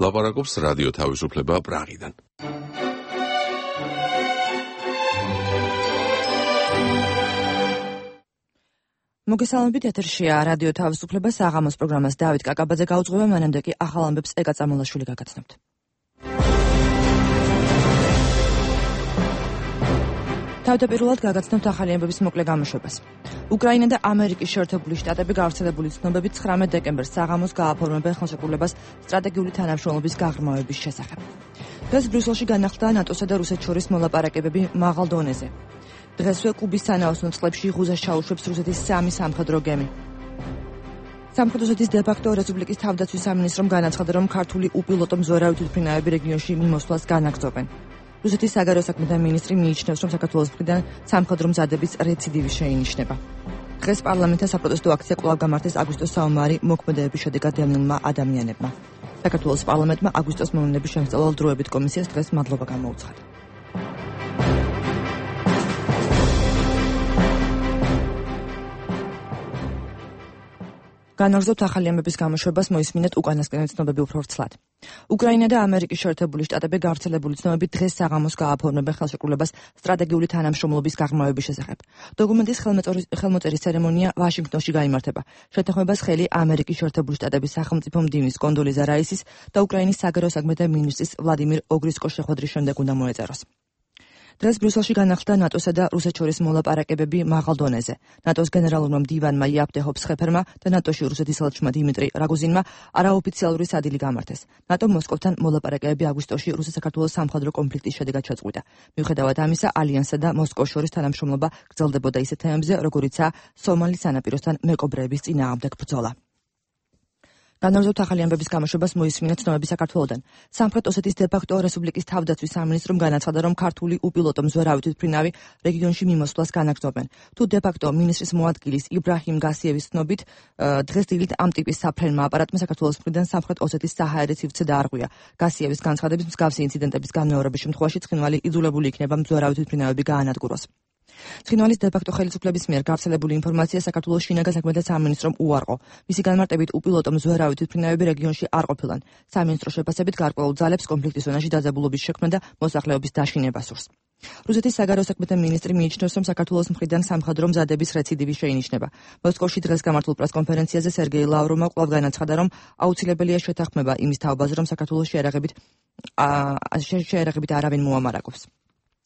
ლაპარაკობს რადიო თავისუფლება პრაღიდან. მოგესალმებით, ეთერშია რადიო თავისუფლება, საღამოს პროგრამას დავით კაკაბაძე გაუძღვება, მანამდე კი ახალ ამბებს ეკა წამოლაშვილი გაგაცნობთ. თავდაპირველად გაგაცნობთ ახალი ამბების მოკლე გამოშვებას. უკრაინა და ამერიკის შეერთებული შტატები გავრცელებული ცნობებით 19 დეკემბერს საღამოს გააფორმებენ ხელშეკრულებას სტრატეგიული თანამშრომლობის გაღრმავების შესახებ. დღეს ბრიუსელში განახლდა ნატოსა და რუსეთს შორის მოლაპარაკებები მაღალ დონეზე. დღესვე კუბის სანაოსნო წყლებში ღუზას ჩაუშვებს რუსეთის 3 სამხედრო გემი. სამხრეთ ოსეთის დე-ფაქტო რესპუბლიკის თავდაცვის სამინისტრომ განაცხადა, რომ ქართული უპილოტო მზვერავი თვითმფრინავები რეგიონში მიმოსვლას განაგრძობენ. რუსეთის საგარეო საქმეთა მინისტრი მიიჩნევს, რომ საქართველოს მხრიდან სამხედრო მზადების რეციდივი შეინიშნება. დღეს პარლამენტთან საპროტესტო აქცია კვლავ გამართეს აგვისტოს საომარი მოქმედებების შედეგად დევნილმა ადამიანებმა. საქართველოს პარლამენტმა აგვისტოს მოვლენების შემსწავლელ დროებით კომისიას დღეს მადლობა გამოუცხადა. განაგრძობთ ახალი ამბების გამოშვებას, მოისმინეთ უკანასკნელი ცნობები უფრო ვრცლად. უკრაინა და ამერიკის შეერთებული შტატები გავრცელებული ცნობებით დღეს საღამოს გააფორმებენ ხელშეკრულებას სტრატეგიული თანამშრომლობის გაღრმავების შესახებ. დოკუმენტის ხელმოწერის ცერემონია ვაშინგტონში გაიმართება. შეთანხმებას ხელი ამერიკის შეერთებული შტატების სახელმწიფო მდივნის კონდოლიზა რაისის და უკრაინის საგარეო საქმეთა მინისტრის ვლადიმირ ოგრისკოს შეხვედრის შემდეგ უნდა მოეწეროს. დღეს ბრიუსელში განახლდა ნატოსა და რუსეთს შორის მოლაპარაკებები მაღალ დონეზე. ნატოს გენერალურმა მდივანმა იაპ დე ჰოფსხეფერმა და ნატოში რუსეთის ელჩმა დიმიტრი რაგოზინმა არაოფიციალური სადილი გამართეს. ნატომ მოსკოვთან მოლაპარაკებები აგვისტოში რუსეთ-საქართველოს სამხედრო კონფლიქტის შედეგად შეწყვიტა. მიუხედავად ამისა, ალიანსსა და მოსკოვს შორის თანამშრომლობა გრძელდებოდა ისეთ თემებზე, როგორიცაა სომალის სანაპიროსთან მეკობრეების წინააღმდეგ ბრძოლა. განაგრძობთ ახალი ამბების გამოშვებას, მოისმინეთ ცნობები საქართველოდან. სამხრეთ ოსეთის დე-ფაქტო რესპუბლიკის თავდაცვის სამინისტრომ განაცხადა, რომ ქართული უპილოტო მზვერავი თვითმფრინავი რეგიონში მიმოსვლას განაგრძობენ. თუ დე-ფაქტო მინისტრის მოადგილის იბრაჰიმ გასიევის ცნობით, დღეს დილით ამ ტიპის საფრენმა აპარატმა საქართველოს მხრიდან სამხრეთ ოსეთის საჰაერის სივრცე დაარღვია. გასიევის განცხადებით, მსგავსი ინციდენტების განმეორების შემთხვევაში ცხინვალი იძულებული იქნება მზვერავი თვითმფრინავები გაანადგუროს. ცხინვალის დე-ფაქტო ხელისუფლების მიერ გავრცელებული ინფორმაცია საქართველოს შინაგან საქმეთა სამინისტრომ უარყო. მისი განმარტებით, უპილოტო მზვერავი თვითმფრინავები რეგიონში არ ყოფილან. სამინისტროს შეფასებით, გარკვეულ ძალებს კონფლიქტის ზონაში დაძაბულობის შექმნა და მოსახლეობის დაშინება სურს. რუსეთის საგარეო საქმეთა მინისტრი მიიჩნევს, რომ საქართველოს მხრიდან სამხედრო მზადების რეციდივი შეინიშნება. მოსკოვში დღეს გამართულ პრესკონფერენციაზე სერგეი ლავროვმა კვლავ განაცხადა, რომ აუცილებელია შეთანხმება იმის თაობაზე, რომ საქართველოს შეერაღებით არავინ მოამარაგებს.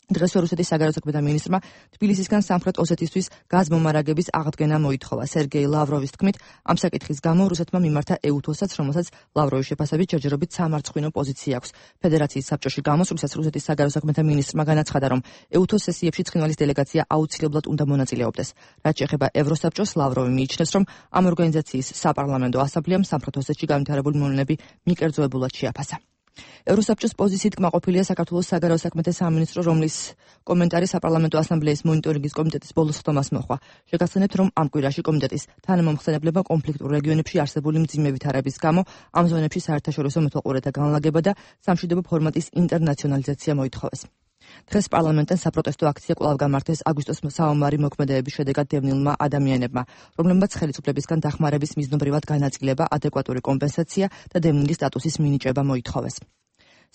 დღეს რუსეთის საგარეო საქმეთა მინისტრმა თბილისისგან სამხრეთ ოსეთისთვის გაზმომარაგების აღდგენა მოითხოვა. სერგეი ლავროვის თქმით, ამ საკითხის გამო რუსეთმა მიმართა ეუთოსაც, რომელსაც ლავროვის შეფასებით ჯერჯერობით სამარცხვინო პოზიცია აქვს. ფედერაციის საბჭოში გამოსვლისას რუსეთის საგარეო საქმეთა მინისტრმა განაცხადა, რომ ეუთოს სესიებში ცხინვალის დელეგაცია აუცილებლად უნდა მონაწილეობდეს. რაც შეეხება ევროსაბჭოს, ლავროვი მიიჩნევს, რომ ამ ორგანიზაციის საპარლამენტო ასამბლეამ სამხრეთ ოსეთში განვითარებული მოვლენები მიკერძოებულად შეაფასა. ევროსაბჭოს პოზიციით კმაყოფილია საქართველოს საგარეო საქმეთა სამინისტრო, რომლის კომენტარი საპარლამენტო ასამბლეის მონიტორინგის კომიტეტის ბოლოს ხდომას მოჰყვა. შეგახსენებთ, რომ ამ კვირაში კომიტეტის თანამომხსენებლებმა კონფლიქტურ რეგიონებში არსებული მძიმე ვითარების გამო ამ ზონებში საერთაშორისო მეთვალყურეთა განლაგება და სამშვიდობო ფორმატის ინტერნაციონალიზაცია მოითხოვეს. დღეს პარლამენტთან საპროტესტო აქცია კვლავ გამართეს აგვისტოს საომარი მოქმედებების შედეგად დევნილმა ადამიანებმა, რომლებმაც ხელისუფლებისგან დახმარების მიზნობრივად განაწილება, ადეკვატური კომპენსაცია და დევნილის სტატუსის მინიჭება მოითხოვეს.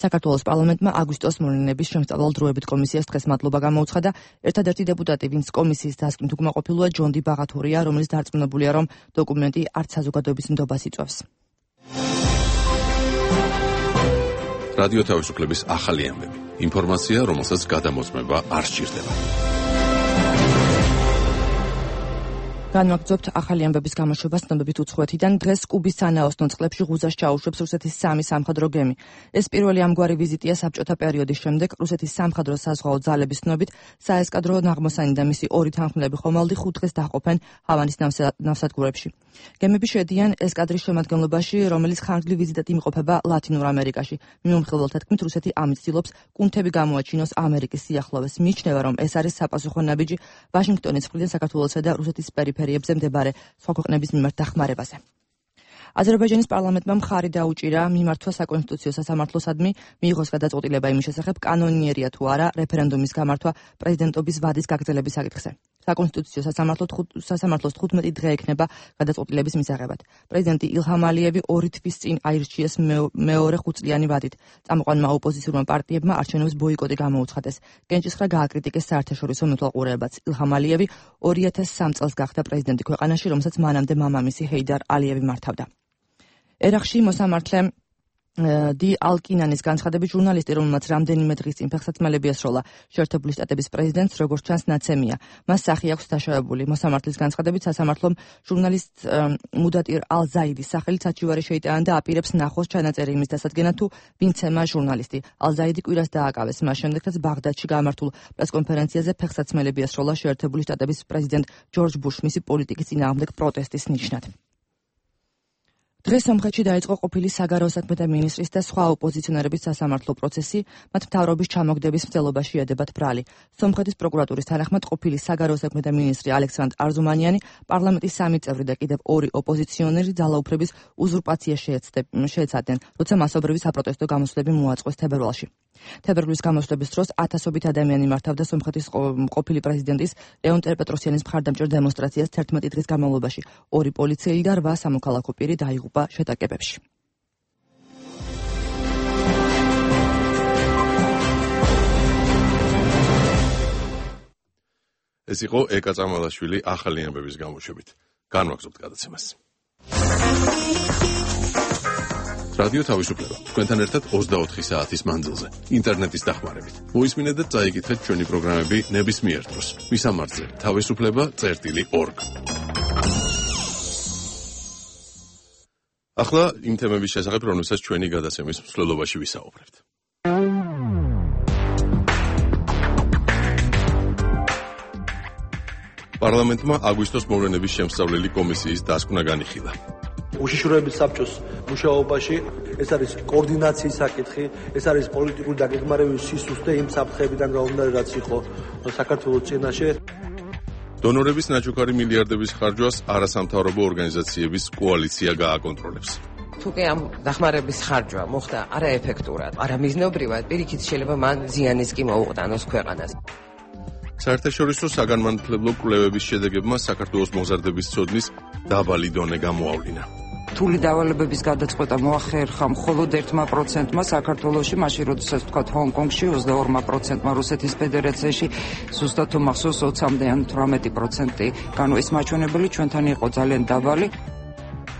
საქართველოს პარლამენტმა აგვისტოს მოვლენების შემსწავლელ დროებით კომისიას დღეს მადლობა გამოუცხადა. ერთადერთი დეპუტატი, ვინც კომისიის დასკვნით უკმაყოფილოა, ჯონ დი ბაღათურია, რომელიც დარწმუნებულია, რომ დოკუმენტი არც საზოგადოების ნდობას იწვევს. რადიო თავისუფლების ახალი ამბები. ინფორმაცია, რომელსაც გადამოწმება არ სჭირდება. განვაგრძობთ ახალი ამბების გამოშვებას ცნობებით უცხოეთიდან. დღეს კუბის სანაოსნო წყლებში ღუზას ჩაუშვებს რუსეთის 3 სამხედრო გემი. ეს პირველი ამგვარი ვიზიტია საბჭოთა პერიოდის შემდეგ. რუსეთის სამხედრო საზღვაო ძალების ცნობით, საესკადრო ნაღმოსანი და მისი 2 თანხმლები ხომალდი 5 დღეს დაჰყოფენ ჰავანის ნავსადგურებში. გემები შედიან ესკადრის შემადგენლობაში, რომელიც ხანგრძლივ ვიზიტად იმყოფება ლათინურ ამერიკაში. მიმომხილველთა თქმით, რუსეთი ამით ცდილობს კუნთები გამოაჩინოს ამერიკის სიახლოვეს. მიიჩნევა, რომ ეს არის საპასუხო ნაბიჯი ვაშინგტონის მხრიდან საქართველოსა და რუსეთის პერიფერიებზე მდებარე სხვა ქვეყნების მიმართ დახმარებაზე. აზერბაიჯანის პარლამენტმა მხარი დაუჭირა მიმართვა საკონსტიტუციო სასამართლოსადმი მიიღოს გადაწყვეტილება იმის შესახებ, კანონიერია თუ არა რეფერენდუმის გამართვა პრეზიდენტობის ვადის გაგრძელების საკითხზე. საკონსტიტუციო სასამართლოს 15 დღე ექნება გადაწყვეტილების მისაღებად. პრეზიდენტი ილჰამ ალიევი 2 თვის წინ აირჩიეს მეორე 5-წლიანი ვადით. წამოყვანმა ოპოზიციურმა პარტიებმა არჩევნების ბოიკოტი გამოუცხადეს. კენჭისხრა გააკრიტიკეს საერთაშორისო მეთვალყურეებაც. ილჰამ ალიევი 2003 წელს გახდა პრეზიდენტი ქვეყანაში, რომელსაც მანამდე მამამისი ჰეიდარ ალიევი მართავდა. ერაყში მოსამართლე დი ალკინანის განცხადებით ჟურნალისტი, რომელმაც რამდენიმე დღის წინ ფეხსაცმელები ესროლა შეერთებული შტატების პრეზიდენტს, როგორც ჩანს, ნაცემია. მას სახი აქვს დაშავებული. მოსამართლის განცხადებით სასამართლომ ჟურნალისტ მუდატირ ალ-ზაიდის სახელით საჩივარი შეიტანა და აპირებს ნახოს ჩანაწერი იმის დასადგენად, თუ ვინ ცემა ჟურნალისტი. ალ-ზაიდი კვირას დააკავეს მას შემდეგ, რაც ბაღდადში გამართულ პრესკონფერენციაზე ფეხსაცმელები ესროლა შეერთებული შტატების პრეზიდენტ ჯორჯ ბუშ მისი პოლიტიკის წინააღმდეგ პროტესტის ნიშნად. დღეს სომხეთში დაიწყო ყოფილი საგარეო საქმეთა მინისტრის და სხვა ოპოზიციონერების სასამართლო პროცესი, მათ მთავრობის ჩამოგდების მცდელობაში ედებათ ბრალი. სომხეთის პროკურატურის თანახმად ყოფილი საგარეო საქმეთა მინისტრი ალექსანდრ არზუმანიანი, პარლამენტის 3 წევრი და კიდევ 2 ოპოზიციონერი ძალაუფლების უზურპაციას შეეცადნენ, როცა მასობრივი საპროტესტო გამოსვლები მოაწყვეს თებერვალში. თებერვლის გამოსვლების დროს ათასობით ადამიანი მართავდა სომხეთის ყოფილი პრეზიდენტის ლეონ ტერპეტროსიანის მხარდამჭერ დემონსტრაციას 11 დღის განმავლობაში. 2 პოლიციელი და 8 სამოქალაქო პირი დაიღუპა შეტაკებებში. ეს იყო ეკა წამალაშვილი ახალი ამბების გამოშვებით. განვაგრძობთ გადაცემას. რადიო თავისუფლება თქვენთან ერთად 24 საათის მანძილზე ინტერნეტის დახმარებით. მოისმინეთ და წაიკითხეთ ჩვენი პროგრამები ნებისმიერ დროს. მისამართზე თავისუფლება.org. ახლა იმ თემების შესახებ, რომელსაც ჩვენი გადაცემის მსვლელობაში ვისაუბრებთ. პარლამენტმა აგვისტოს მოვლენების შემსწავლელი კომისიის დასკვნა განიხილა. უშიშროების საბჭოს მუშაობაში ეს არის კოორდინაციის საკითხი, ეს არის პოლიტიკური დაგეგმარების სისუსტე იმ საფრთხეებიდან გამომდინარე, რაც იყო საქართველოს წინაშე. დონორების ნაჩუქარი მილიარდების ხარჯვას არასამთავრობო ორგანიზაციების კოალიცია გააკონტროლებს. თუკი ამ დახმარების ხარჯვა მოხდა არაეფექტურად, არამიზნობრივად, პირიქით შეიძლება მან ზიანის კი მოუყდანოს ქვეყანას. საერთაშორისო საგანმანათლებლო კვლევების შედეგებმა საქართველოს მოზარდების ცოდნის დაბალი დონე გამოავლინა. რთული დავალებების გადაწყვეტა მოახერხა მხოლოდ 1%-მა საქართველოში, მაშინ როდესაც თქვათ ჰონკონგში 22%-მა, რუსეთის ფედერაციაში ზუსტად თუ მახსოვს 20-მდე ან 18%. ეს მაჩვენებელი ჩვენთან იყო ძალიან დაბალი.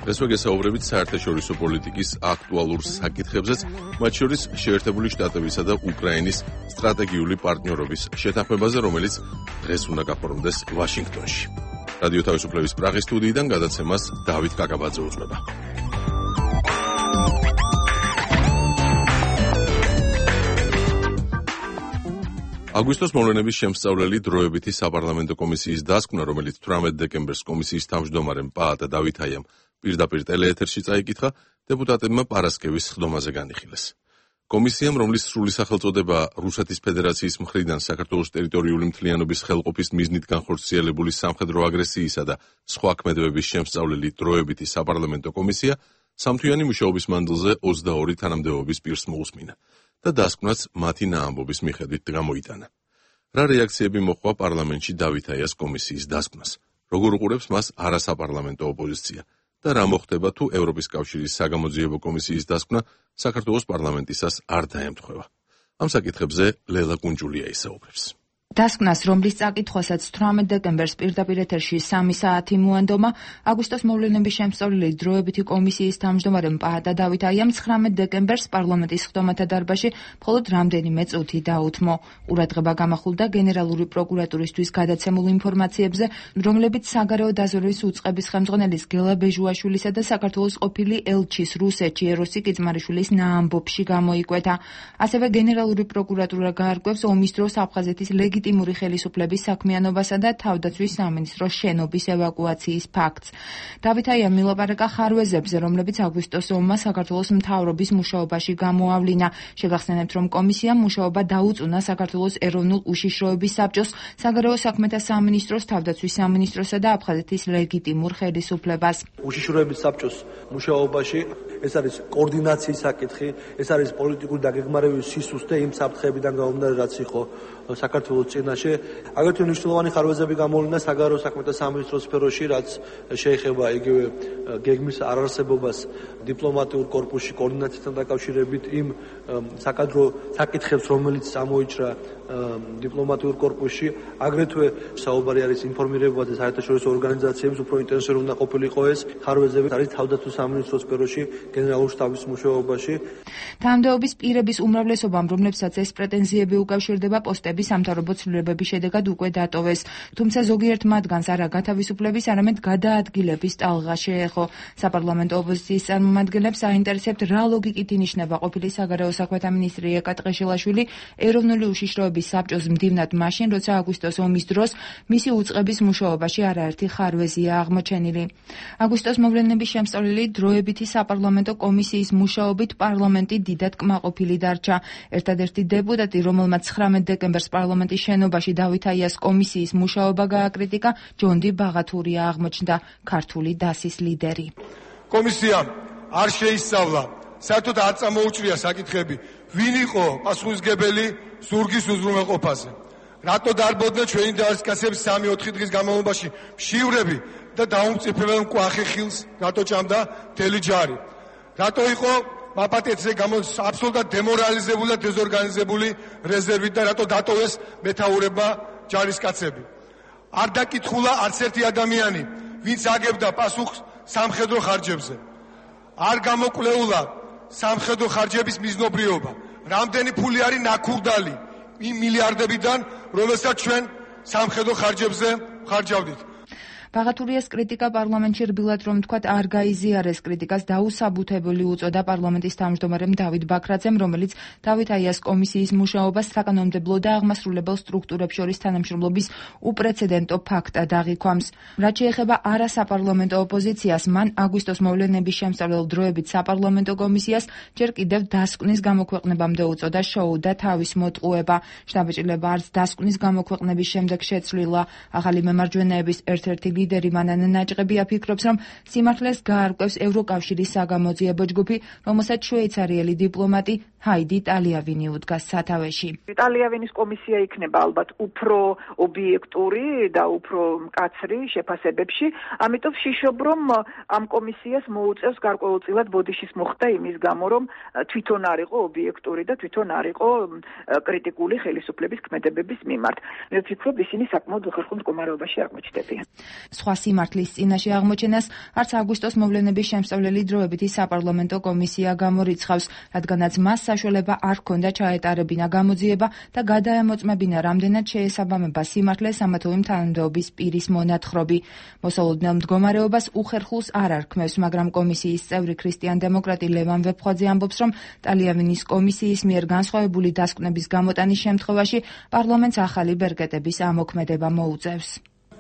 დღეს ვეგესაუბრებით საერთაშორისო პოლიტიკის აქტუალურ საკითხებზეც, მათ შორის შეერთებული შტატებისა და უკრაინის სტრატეგიული პარტნიორობის შეთანხმებაზე, რომელიც დღეს უნდა გაფორმდეს ვაშინგტონში. რადიო თავისუფლების პრაღის სტუდიიდან გადაცემას დავით კაკაბაძე უძღვება. აგვისტოს მოვლენების შემსწავლელი დროებითი საპარლამენტო კომისიის დასკვნა, რომელიც 18 დეკემბერს კომისიის თავმჯდომარემ პაატა დავითაიამ პირდაპირ ტელეეთერში წაიკითხა, დეპუტატებმა პარასკევის სხდომაზე განიხილეს. კომისიამ, რომლის სრული სახელწოდება რუსეთის ფედერაციის მხრიდან საქართველოს ტერიტორიული მთლიანობის ხელყოფის მიზნით განხორციელებული სამხედრო აგრესიისა და სხვა ქმედებების შემსწავლელი დროებითი საპარლამენტო კომისია, სამთვიანი მუშაობის მანძილზე 22 თანამდებობის პირს მოусმინა და დასკვნაც მათი ნაამბობის მიხედვით გამოიტანა. რა რეაქციები მოჰყვა პარლამენტში დავითაიას კომისიის დასკვნას? როგორ უყურებს მას არასაპარლამენტო ოპოზიცია? და რა მოხდება თუ ევროპის კავშირის საგამოძიებო კომისიის დასკვნა საქართველოს პარლამენტისას არ დაემთხვევა? ამ საკითხებზე ლელა კუნჯულია ისაუბრებს. დასკვნას, რომლის წაკითხვასაც 18 დეკემბერს პირდაპირ ეთერში 3 საათი მოანდომა, აგვისტოს მოვლენების შემსწავლელი დროებითი კომისიის თავმჯდომარემ პაატა დავითაიამ 19 დეკემბერს პარლამენტის სხდომათა დარბაზში მხოლოდ რამდენიმე წუთი დაუთმო. ყურადღება გამახვილდა გენერალური პროკურატურისთვის გადაცემულ ინფორმაციებზე, რომლებიც საგარეო დაზვერვის უწყების ხელმძღვანელის გელა ბეჟუაშვილისა და საქართველოს ყოფილი ელჩის რუსეთში ეროსი კიძმარიშვილის ნაამბობში გამოიკვეთა. ასევე გენერალური პროკურატურა გაარკვევს ომის დროს აფხაზეთის ლეგიტიმური ხელისუფლების საქმიანობასა და თავდაცვის სამინისტროს შენობის ევაკუაციის ფაქტს. დავითაიამ მილაპარაკა ხარვეზებზე, რომლებიც აგვისტოს ომმა საქართველოს მთავრობის მუშაობაში გამოავლინა. შეგახსენებთ, რომ კომისიამ მუშაობა დაუწუნა საქართველოს ეროვნულ უშიშროების საბჭოს, საგარეო საქმეთა სამინისტროს, თავდაცვის სამინისტროსა და აფხაზეთის ლეგიტიმურ ხელისუფლებას. უშიშროების საბჭოს მუშაობაში ეს არის კოორდინაციის საკითხი, ეს არის პოლიტიკური დაგეგმარების სისუსტე იმ საფრთხეებიდან გამომდინარე, რაც იყო საქართველოს წინაშე. აგრეთვე მნიშვნელოვანი ხარვეზები გამოვლინდა საგარეო საქმეთა სამინისტროს სფეროში, რაც შეეხება იგივე გეგმის არარსებობას დიპლომატიურ კორპუსში კოორდინაციასთან დაკავშირებით იმ საკადრო საკითხებს, რომელიც წამოიჭრა დიპლომატიურ კორპუსში. აგრეთვე საუბარი არის ინფორმირებაზე საერთაშორისო ორგანიზაციების უფრო ინტენსიური უნდა ყოფილიყო ეს ხარვეზები არის თავდაცვის სამინისტროს სფეროში გენერალურ შტაბის მუშაობაში. თანამდებობის პირების უმრავლესობამ, რომლებსაც ეს პრეტენზიები უკავშირდება, პოსტები სამთავრობო ცვლილებების შედეგად უკვე დატოვეს. თუმცა ზოგიერთ მათგანს არა გათავისუფლების, არამედ გადაადგილების ტალღა შეეხო. საპარლამენტო ოპოზიციის წარმომადგენლებს აინტერესებთ, რა ლოგიკით ინიშნება ყოფილი საგარეო საქმეთა მინისტრი ეკა ტყეშილაშვილი ეროვნული უშიშროების საბჭოს მდივნად მაშინ, როცა აგვისტოს ომის დროს მისი უწყების მუშაობაში არაერთი ხარვეზია აღმოჩენილი. აგვისტოს მოვლენების შემსწავლელი დროებითი საპარლამენტო კომისიის მუშაობით პარლამენტი დიდად კმაყოფილი დარჩა. ერთადერთი დეპუტატი, რომელმაც 19 დეკემბერს პარლამენტის შენობაში დავით აიას კომისიის მუშაობა გააკრიტიკა, ჯონდი ბაღათურია აღმოჩნდა, ქართული დასის ლიდერი. კომისიამ არ შეისწავლა, საერთოდ არ წამოუჭრია საკითხები, ვინ იყო პასუხისმგებელი ზურგის უზრუნველყოფაზე. რატო დარბოდნენ ჩვენი ჯარისკაცების 3-4 დღის განმავლობაში მშივრები და დაუმწიფებელ მკვახე ხილს, რატო ჭამდა მთელი ჯარი. რატო იყო მაპატიეთზე აბსოლუტურად დემორალიზებული და დეზორგანიზებული რეზერვით და რატო დატოვეს მეთაურებმა ჯარისკაცები. არ დაკითხულა არც ერთი ადამიანი, ვინც აგებდა პასუხს სამხედრო ხარჯებზე. არ გამოკვლეულა სამხედრო ხარჯების მიზნობრიობა. რამდენი ფული არის ნაქურდალი იმ მილიარდებიდან, რომელსაც ჩვენ სამხედრო ხარჯებზე ხარჯავდით. ბაღათურიას კრიტიკა პარლამენტში რბილად რომ თქვათ არ გაიზიარეს, კრიტიკას დაუსაბუთებელი უწოდა პარლამენტის თავმჯდომარემ დავით ბაქრაძემ, რომელიც დავით აიას კომისიის მუშაობას საკანონმდებლო და აღმასრულებელ სტრუქტურებს შორის თანამშრომლობის უპრეცედენტო ფაქტად აღიქვამს. რაც შეეხება არასაპარლამენტო ოპოზიციას, მან აგვისტოს მოვლენების შემსწავლელ დროებით საპარლამენტო კომისიას ჯერ კიდევ დასკვნის გამოქვეყნებამდე უწოდა შოუ და თავის მოტყუება. შთაბეჭდილება არც დასკვნის გამოქვეყნების შემდეგ შეცვლილა. ახალი მემარჯვენეების ერთ-ერთი ლიდერი მანანა ნაჭყებია ფიქრობს, რომ სიმართლეს გაარკვევს ევროკავშირის საგამოძიებო ჯგუფი, რომელსაც შვეიცარიელი დიპლომატი ჰაიდი ტალიავინი უდგას სათავეში. ტალიავინის კომისია იქნება ალბათ უფრო ობიექტური და უფრო მკაცრი შეფასებებში, ამიტომ ვშიშობ, რომ ამ კომისიას მოუწევს გარკვეულწილად ბოდიშის მოხდა იმის გამო, რომ თვითონ არ იყო ობიექტური და თვითონ არ იყო კრიტიკული ხელისუფლების ქმედებების მიმართ. მე ვფიქრობ, ისინი საკმაოდ უხერხულ მდგომარეობაში აღმოჩნდებიან. სხვა სიმართლის წინაშე აღმოჩენას არც აგვისტოს მოვლენების შემსწავლელი დროებითი საპარლამენტო კომისია გამორიცხავს, რადგანაც მას საშუალება არ ჰქონდა ჩაეტარებინა გამოძიება და გადაემოწმებინა რამდენად შეესაბამება სიმართლეს ამა თუ იმ თანამდებობის პირის მონათხრობი. მოსალოდნელ მდგომარეობას უხერხულს არ არქმევს, მაგრამ კომისიის წევრი ქრისტიან-დემოკრატი ლევან ვეფხვაძე ამბობს, რომ ტალიავინის კომისიის მიერ განსხვავებული დასკვნების გამოტანის შემთხვევაში პარლამენტს ახალი ბერკეტების ამოქმედება მოუწევს.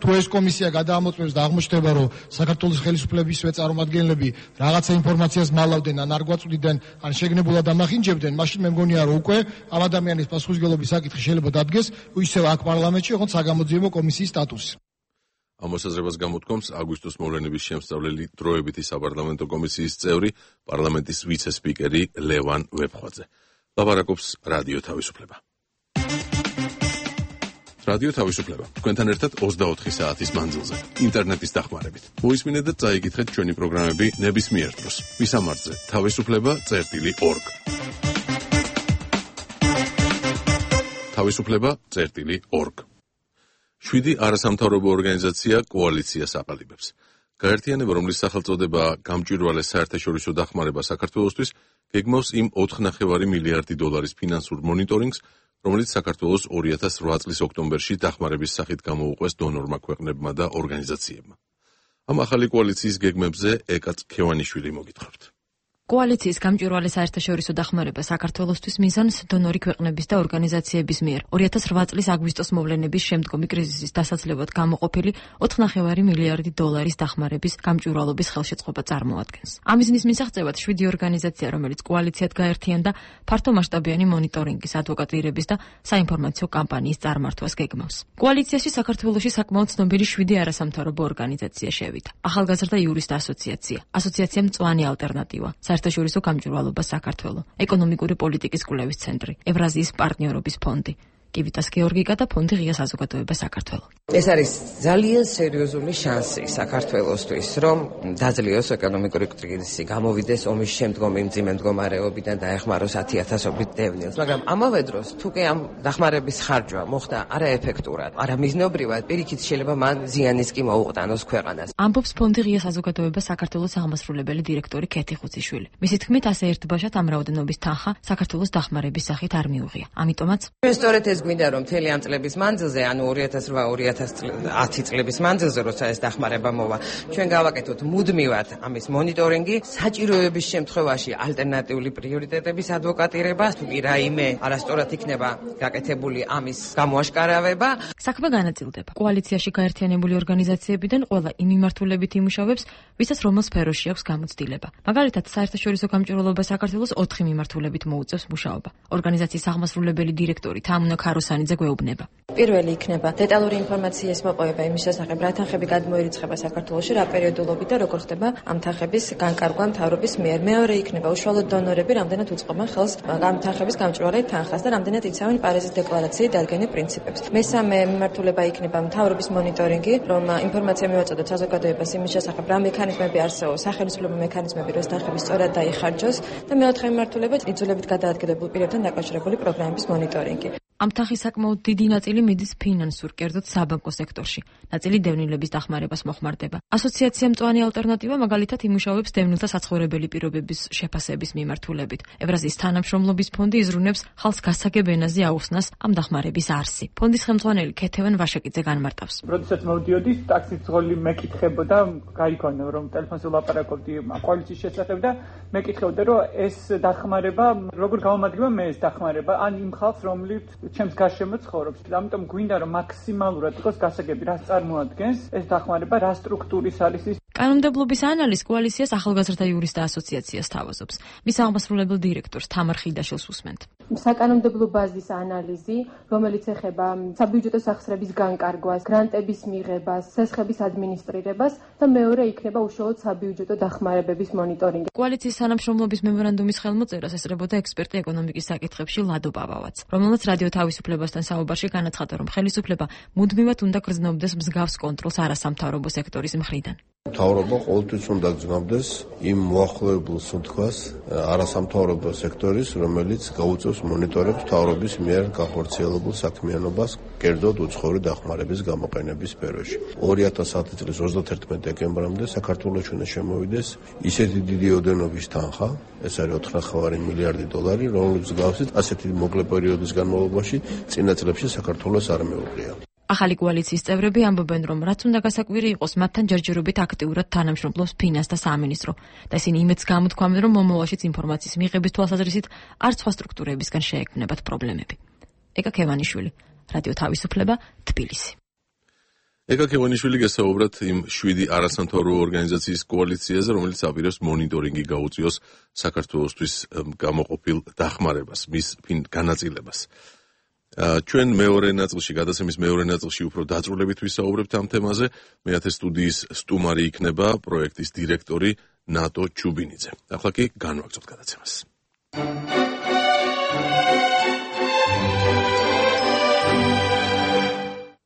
თუ ეს კომისია გადაამოწმებს და აღმოჩნდება, რომ საქართველოს ხელისუფლებისვე წარმომადგენლები რაღაცა ინფორმაციას მალავდნენ, ან არ გვაწვდიდნენ, ან შეგნებულად ამახინჯებდნენ, მაშინ მე მგონია, რომ უკვე ამ ადამიანის პასუხისმგებლობის საკითხი შეიძლება დადგეს ისევ აქ პარლამენტში, ოღონდ საგამოძიებო კომისიის სტატუსი. ამ მოსაზრებას გამოთქვამს აგვისტოს მოვლენების შემსწავლელი დროებითი საპარლამენტო კომისიის წევრი, პარლამენტის ვიცე-სპიკერი ლევან ვეფხვაძე. ლაპარაკობს რადიო თავისუფლება. რადიო თავისუფლება. თქვენთან ერთად 24 საათის მანძილზე, ინტერნეტის დახმარებით. მოისმინეთ და წაიკითხეთ ჩვენი პროგრამები ნებისმიერ დროს. მისამართზე თავისუფლება.org. თავისუფლება.org. 7 არასამთავრობო ორგანიზაცია კოალიციას აყალიბებს. გაერთიანება, რომლის სახელწოდება გამჭვირვალე საერთაშორისო დახმარება საქართველოსთვის, გეგმავს იმ 4,5 მილიარდი დოლარის ფინანსურ მონიტორინგს, რომელიც საქართველოს 2008 წლის ოქტომბერში დახმარების სახით გამოუყვეს დონორმა ქვეყნებმა და ორგანიზაციებმა. ამ ახალი კოალიციის გეგმებზე ეკა ტყეშილაშვილი მოგითხრობთ. კოალიციის გამჭვირვალე საერთაშორისო დახმარება საქართველოსთვის მიზანს დონორი ქვეყნების და ორგანიზაციების მიერ 2008 წლის აგვისტოს მოვლენების შემდგომი კრიზისის დასაძლევად გამოყოფილი 4,5 მილიარდი დოლარის დახმარების გამჭვირვალობის ხელშეწყობა წარმოადგენს. ამ მიზნის მისაღწევად 7 ორგანიზაცია, რომელიც კოალიციად გაერთიანდა, ფართომასშტაბიანი მონიტორინგის, ადვოკატირების და საინფორმაციო კამპანიის წარმართვას გეგმავს. კოალიციაში საქართველოში საკმაოდ ცნობილი 7 არასამთავრობო ორგანიზაცია შევიდა. ახალგაზრდა იურისტ ასოციაცია, ასოციაცია მწვანე ალტერნატივა, საერთაშორისო გამჭვირვალობა საქართველო, ეკონომიკური პოლიტიკის კვლევის ცენტრი, ევრაზიის პარტნიორობის ფონდი, კივიტას გეორგიკა და ფონდი ღია საზოგადოება საქართველო. ეს არის ძალიან სერიოზული შანსი საქართველოსთვის, რომ დაძლიოს ეკონომიკური კრიზისი, გამოვიდეს ომის შემდგომი მძიმე მდგომარეობიდან და ეხმაროს 10,000-ობით დევნილს. მაგრამ ამავე დროს, თუ კი ამ დახმარების ხარჯვა მოხდა არაეფექტურად, არამიზნობრივად, პირიქით შეიძლება მან ზიანის კი მოუყდანოს ქვეყანას. ამბობს ფონდი ღია საზოგადოება საქართველოს აღმასრულებელი დირექტორი ქეთი ხუციშვილი. მისი თქმით, ასე ერთბაშად ამ რაოდენობის თანხა საქართველოს დახმარების სახით არ მიუღია. ამიტომაც ჩვენ სწორედ ეს გვინდა, რომ მთელი ამ წლების მანძილზე, ანუ 2008-2010 წლების მანძილზე, როცა ეს დახმარება მოვა, ჩვენ გავაკეთოთ მუდმივად ამის მონიტორინგი, საჭიროების შემთხვევაში ალტერნატიული პრიორიტეტების ადვოკატირება, თუ კი რაიმე არასწორად იქნება გაკეთებული ამის გამოაშკარავება. საქმე განაწილდება. კოალიციაში გაერთიანებული ორგანიზაციებიდან ყველა იმ მიმართულებით იმუშავებს, ვისაც რომელ სფეროში აქვს გამოცდილება. მაგალითად, საერთაშორისო გამჭვირვალობა საქართველოს 4 მიმართულებით მოუწევს მუშაობა. ორგანიზაციის აღმასრულებელი დირექტორი თამუნა ქაროსანიძე გვეუბნება. პირველი იქნება დეტალური ინფორმაციის მოპოვება იმის შესახებ, რა თანხები გადმოირიცხება საქართველოში, რა პერიოდულობით და როგორ ხდება ამ თანხების განკარგვა მთავრობის მიერ. მეორე იქნება უშუალოდ დონორები, რამდენად უწყობენ ხელს ამ თანხების გამჭვირვალე თანხას და რამდენად იცავენ პარიზის დეკლარაციით დადგენილ პრინციპებს. მესამე მიმართულება იქნება მთავრობის მონიტორინგი, რომ ინფორმაცია მივაწოდოთ საზოგადოებას იმის შესახებ, რა მექანიზმები არსებობს, სახელმწიფო მექანიზმები, რომ თანხები სწორად დაიხარჯოს და მეოთხე მიმართულება იძულებით გადაადგილებულ პირებთან დაკავშირებული პროგრამების მონიტორინგი. ამ თანხის საკმაოდ დიდი ნაწილი მიდის ფინანსურ, კერძოდ საბანკო სექტორში. ნაწილი დევნილების დახმარებას მოხმარდება. ასოციაცია მწვანე ალტერნატივა მაგალითად იმუშავებს დევნილთა საცხოვრებელი პირობების შეფასების მიმართულებით. ევრაზიის თანამშრომლობის ფონდი იზრუნებს ხალხს გასაგებ ენაზე აუხსნას ამ დახმარების არსი. ფონდის ხელმძღვანელი ქეთევან ვაშაკიძე განმარტავს. როდესაც მოვდიოდი, ტაქსის ძღოლი მეკითხებოდა, გაიგონო რომ ტელეფონზე ვლაპარაკობდი კოალიციის შესახებ და მეკითხებოდა რომ ეს დახმარება როგორ გამომადგება მე ეს დახმარება ან იმ ხალხს რომლით ჩემს გარშემო ცხოვრობს. ამიტომ გვინდა რომ მაქსიმალურად იყოს გასაგები რას წარმოადგენს ეს დახმარება, რა სტრუქტურის არის ის. კანონმდებლობის ანალიზს კოალიციას ახალგაზრდა იურისტთა ასოციაცია სთავაზობს. მის აღმასრულებელ დირექტორს თამარ ხიდაშვილს უსმენთ. საკანონმდებლო ბაზის ანალიზი, რომელიც ეხება საბიუჯეტო სახსრების განკარგვას, გრანტების მიღებას, სესხების ადმინისტრირებას და მეორე იქნება უშუალოდ საბიუჯეტო დახმარებების მონიტორინგი. კოალიციის თანამშრომლობის მემორანდუმის ხელმოწერას ესწრებოდა ექსპერტი ეკონომიკის საკითხებში ლადო პავავაც, რომელმაც რადიო თავისუფლებასთან საუბარში განაცხადა, რომ ხელისუფლება მუდმივად უნდა გრძნობდეს მსგავს კონტროლს არასამთავრობო სექტორის მხრიდან. მთავრობა ყოველთვის უნდა გრძნობდეს იმ მოახლოებულ სუნთქვას არასამთავრობო სექტორის, რომელიც გაუწევს მონიტორებს მთავრობის მიერ განხორციელებულ საქმიანობას, კერძოდ უცხოური დახმარების გამოყენების სფეროში. 2010 წლის 31 დეკემბრამდე საქართველოში უნდა შემოვიდეს ისეთი დიდი ოდენობის თანხა, ეს არის 4,5 მილიარდი დოლარი, რომლის მსგავსით ასეთი მოკლე პერიოდის განმავლობაში წინა წლებში საქართველოს არ მეუღია. ახალი კოალიციის წევრები ამბობენ, რომ რაც უნდა გასაკვირი იყოს, მათთან ჯერჯერობით აქტიურად თანამშრომლობს ფინანსთა სამინისტრო და ისინი იმედს გამოთქვამენ, რომ მომავალშიც ინფორმაციის მიღების თვალსაზრისით არც სხვა სტრუქტურებისგან შეექმნებათ პრობლემები. ეკა ქევანიშვილი, რადიო თავისუფლება, თბილისი. ეკა ქევანიშვილი გესაუბრათ იმ 7 არასამთავრობო ორგანიზაციის კოალიციაზე, რომელიც აპირებს მონიტორინგი გაუწიოს საქართველოსთვის გამოყოფილ დახმარებას, მის განაწილებას. ჩვენ მეორე ნაწილში, გადაცემის მეორე ნაწილში უფრო დაწვრილებით ვისაუბრებთ ამ თემაზე. მეათე სტუდიის სტუმარი იქნება პროექტის დირექტორი ნატო ჩუბინიძე. ახლა კი განვაგრძობთ გადაცემას.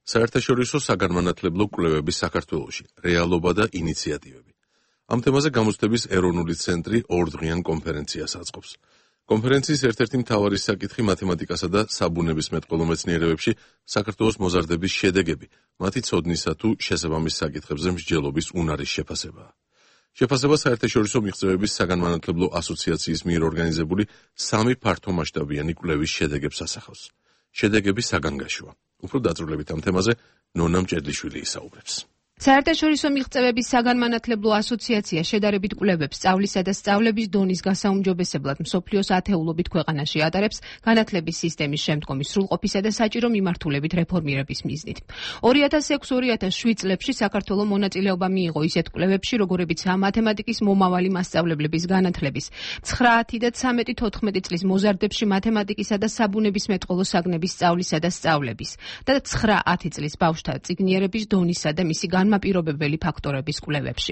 საერთაშორისო საგანმანათლებლო კვლევების საქართველოში რეალობა და ინიციატივები. ამ თემაზე გამოცდების ეროვნული ცენტრი ორდღიან კონფერენციას აწყობს. კონფერენციის ერთ-ერთი მთავარი საკითხი მათემატიკასა და საბუნებისმეტყველო მეცნიერებებში საქართველოს მოზარდების შედეგები, მათი ცოდნისა თუ შესაბამის საკითხებზე მსჯელობის უნარის შეფასებაა. შეფასება საერთაშორისო მიღწევების საგანმანათლებლო ასოციაციის მიერ ორგანიზებული 3 ფართომასშტაბიანი კვლევის შედეგებს ასახავს. შედეგები საგანგაშოა. უფრო დაწვრილებით ამ თემაზე ნონა მჭედლიშვილი ისაუბრებს. საერთაშორისო მიღწევების საგანმანათლებლო ასოციაცია შედარებით კვლევებს სწავლისა და სწავლების დონის გასაუმჯობესებლად მსოფლიოს ათეულობით ქვეყანაში ატარებს განათლების სისტემის შემდგომი სრულყოფისა და საჭირო მიმართულებით რეფორმირების მიზნით. 2006-2007 წლებში საქართველოს მონაწილეობა მიიღო ისეთ კვლევებში, როგორებიცაა მათემატიკის მომავალი მასწავლებლების განათლების, 9 და 13-14 წლის მოზარდებში მათემატიკისა და საბუნებისმეტყველო საგნების სწავლისა და სწავლების და 9-10 წლის ბავშვთა წიგნიერების დონისა და მისი განმაპირობებელი ფაქტორების კვლევებში.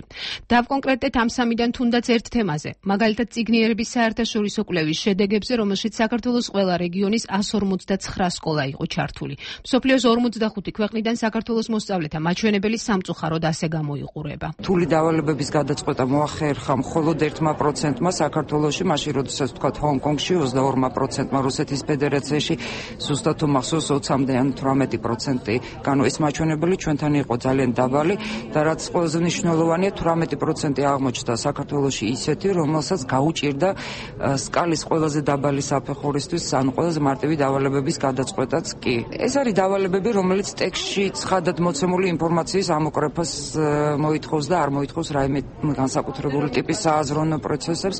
დავკონკრეტდეთ ამ სამიდან თუნდაც ერთ თემაზე, მაგალითად წიგნიერების საერთაშორისო კვლევის შედეგებზე, რომელშიც საქართველოს ყველა რეგიონის 159 სკოლა იყო ჩართული. მსოფლიოს 45 ქვეყნიდან საქართველოს მოსწავლეთა მაჩვენებელი სამწუხაროდ ასე გამოიყურება. რთული დავალებების გადაწყვეტა მოახერხა მხოლოდ 1%-მა საქართველოში, მაშინ როდესაც თქვათ ჰონკონგში 22%-მა, რუსეთის ფედერაციაში ზუსტად თუ მახსოვს 20-მდე ან 18%. განო ეს მაჩვენებელი ჩვენთან იყო ძალიან დაბალი და რაც ყველაზე მნიშვნელოვანია 18% აღმოჩნდა საქართველოში ისეთი, რომელსაც გაუჭირდა სკალის ყველაზე დაბალი საფეხურისთვის ან ყველაზე მარტივი დავალებების გადაწყვეტაც კი. ეს არის დავალებები, რომელიც ტექსტში ცხადად მოცემული ინფორმაციის ამოკრეფას მოითხოვს და არ მოითხოვს რაიმე განსაკუთრებული ტიპის სააზროვნო პროცესებს.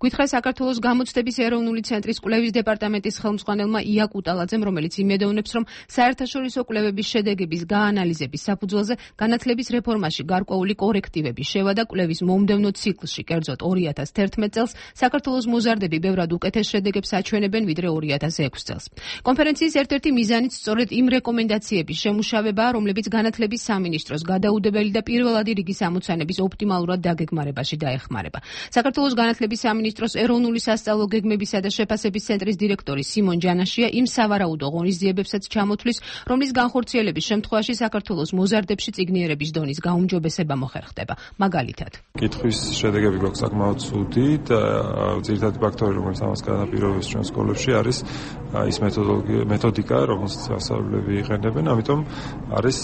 გითხრა საქართველოს გამოცდების ეროვნული ცენტრის კვლევის დეპარტამენტის ხელმძღვანელმა ია კუტალაძემ, რომელიც იმედოვნებს, რომ საერთაშორისო კვლევების შედეგების გაანალიზების საფუძველზე განათლების რეფორმაში გარკვეული კორექტივები შევა და კვლევის მომდევნო ციკლში, კერძოდ 2011 წელს, საქართველოს მოზარდები ბევრად უკეთეს შედეგებს აჩვენებენ ვიდრე 2006 წელს. კონფერენციის ერთ-ერთი მიზანიც სწორედ იმ რეკომენდაციების შემუშავებაა, რომლებიც განათლების სამინისტროს გადაუდებელი და პირველადი რიგის ამოცანების ოპტიმალურად დაგეგმარებაში დაეხმარება. საქართველოს განათლების სამინისტროს ეროვნული სასწავლო გეგმებისა და შეფასების ცენტრის დირექტორი სიმონ ჯანაშია იმ სავარაუდო ღონისძიებებსაც ჩამოთვლის, რომლის განხორციელების შემთხვევაში საქართველოს მოზარდებში წიგნიერების დონის გაუმჯობესება მოხერხდება. მაგალითად, კითხვის შედეგები გვაქვს საკმაოდ ცუდი და ძირითადი ფაქტორი, რომელიც ამას განაპირობებს ჩვენ სკოლებში, არის ის მეთოდიკა, რომელსაც მასწავლებლები იყენებენ, ამიტომ არის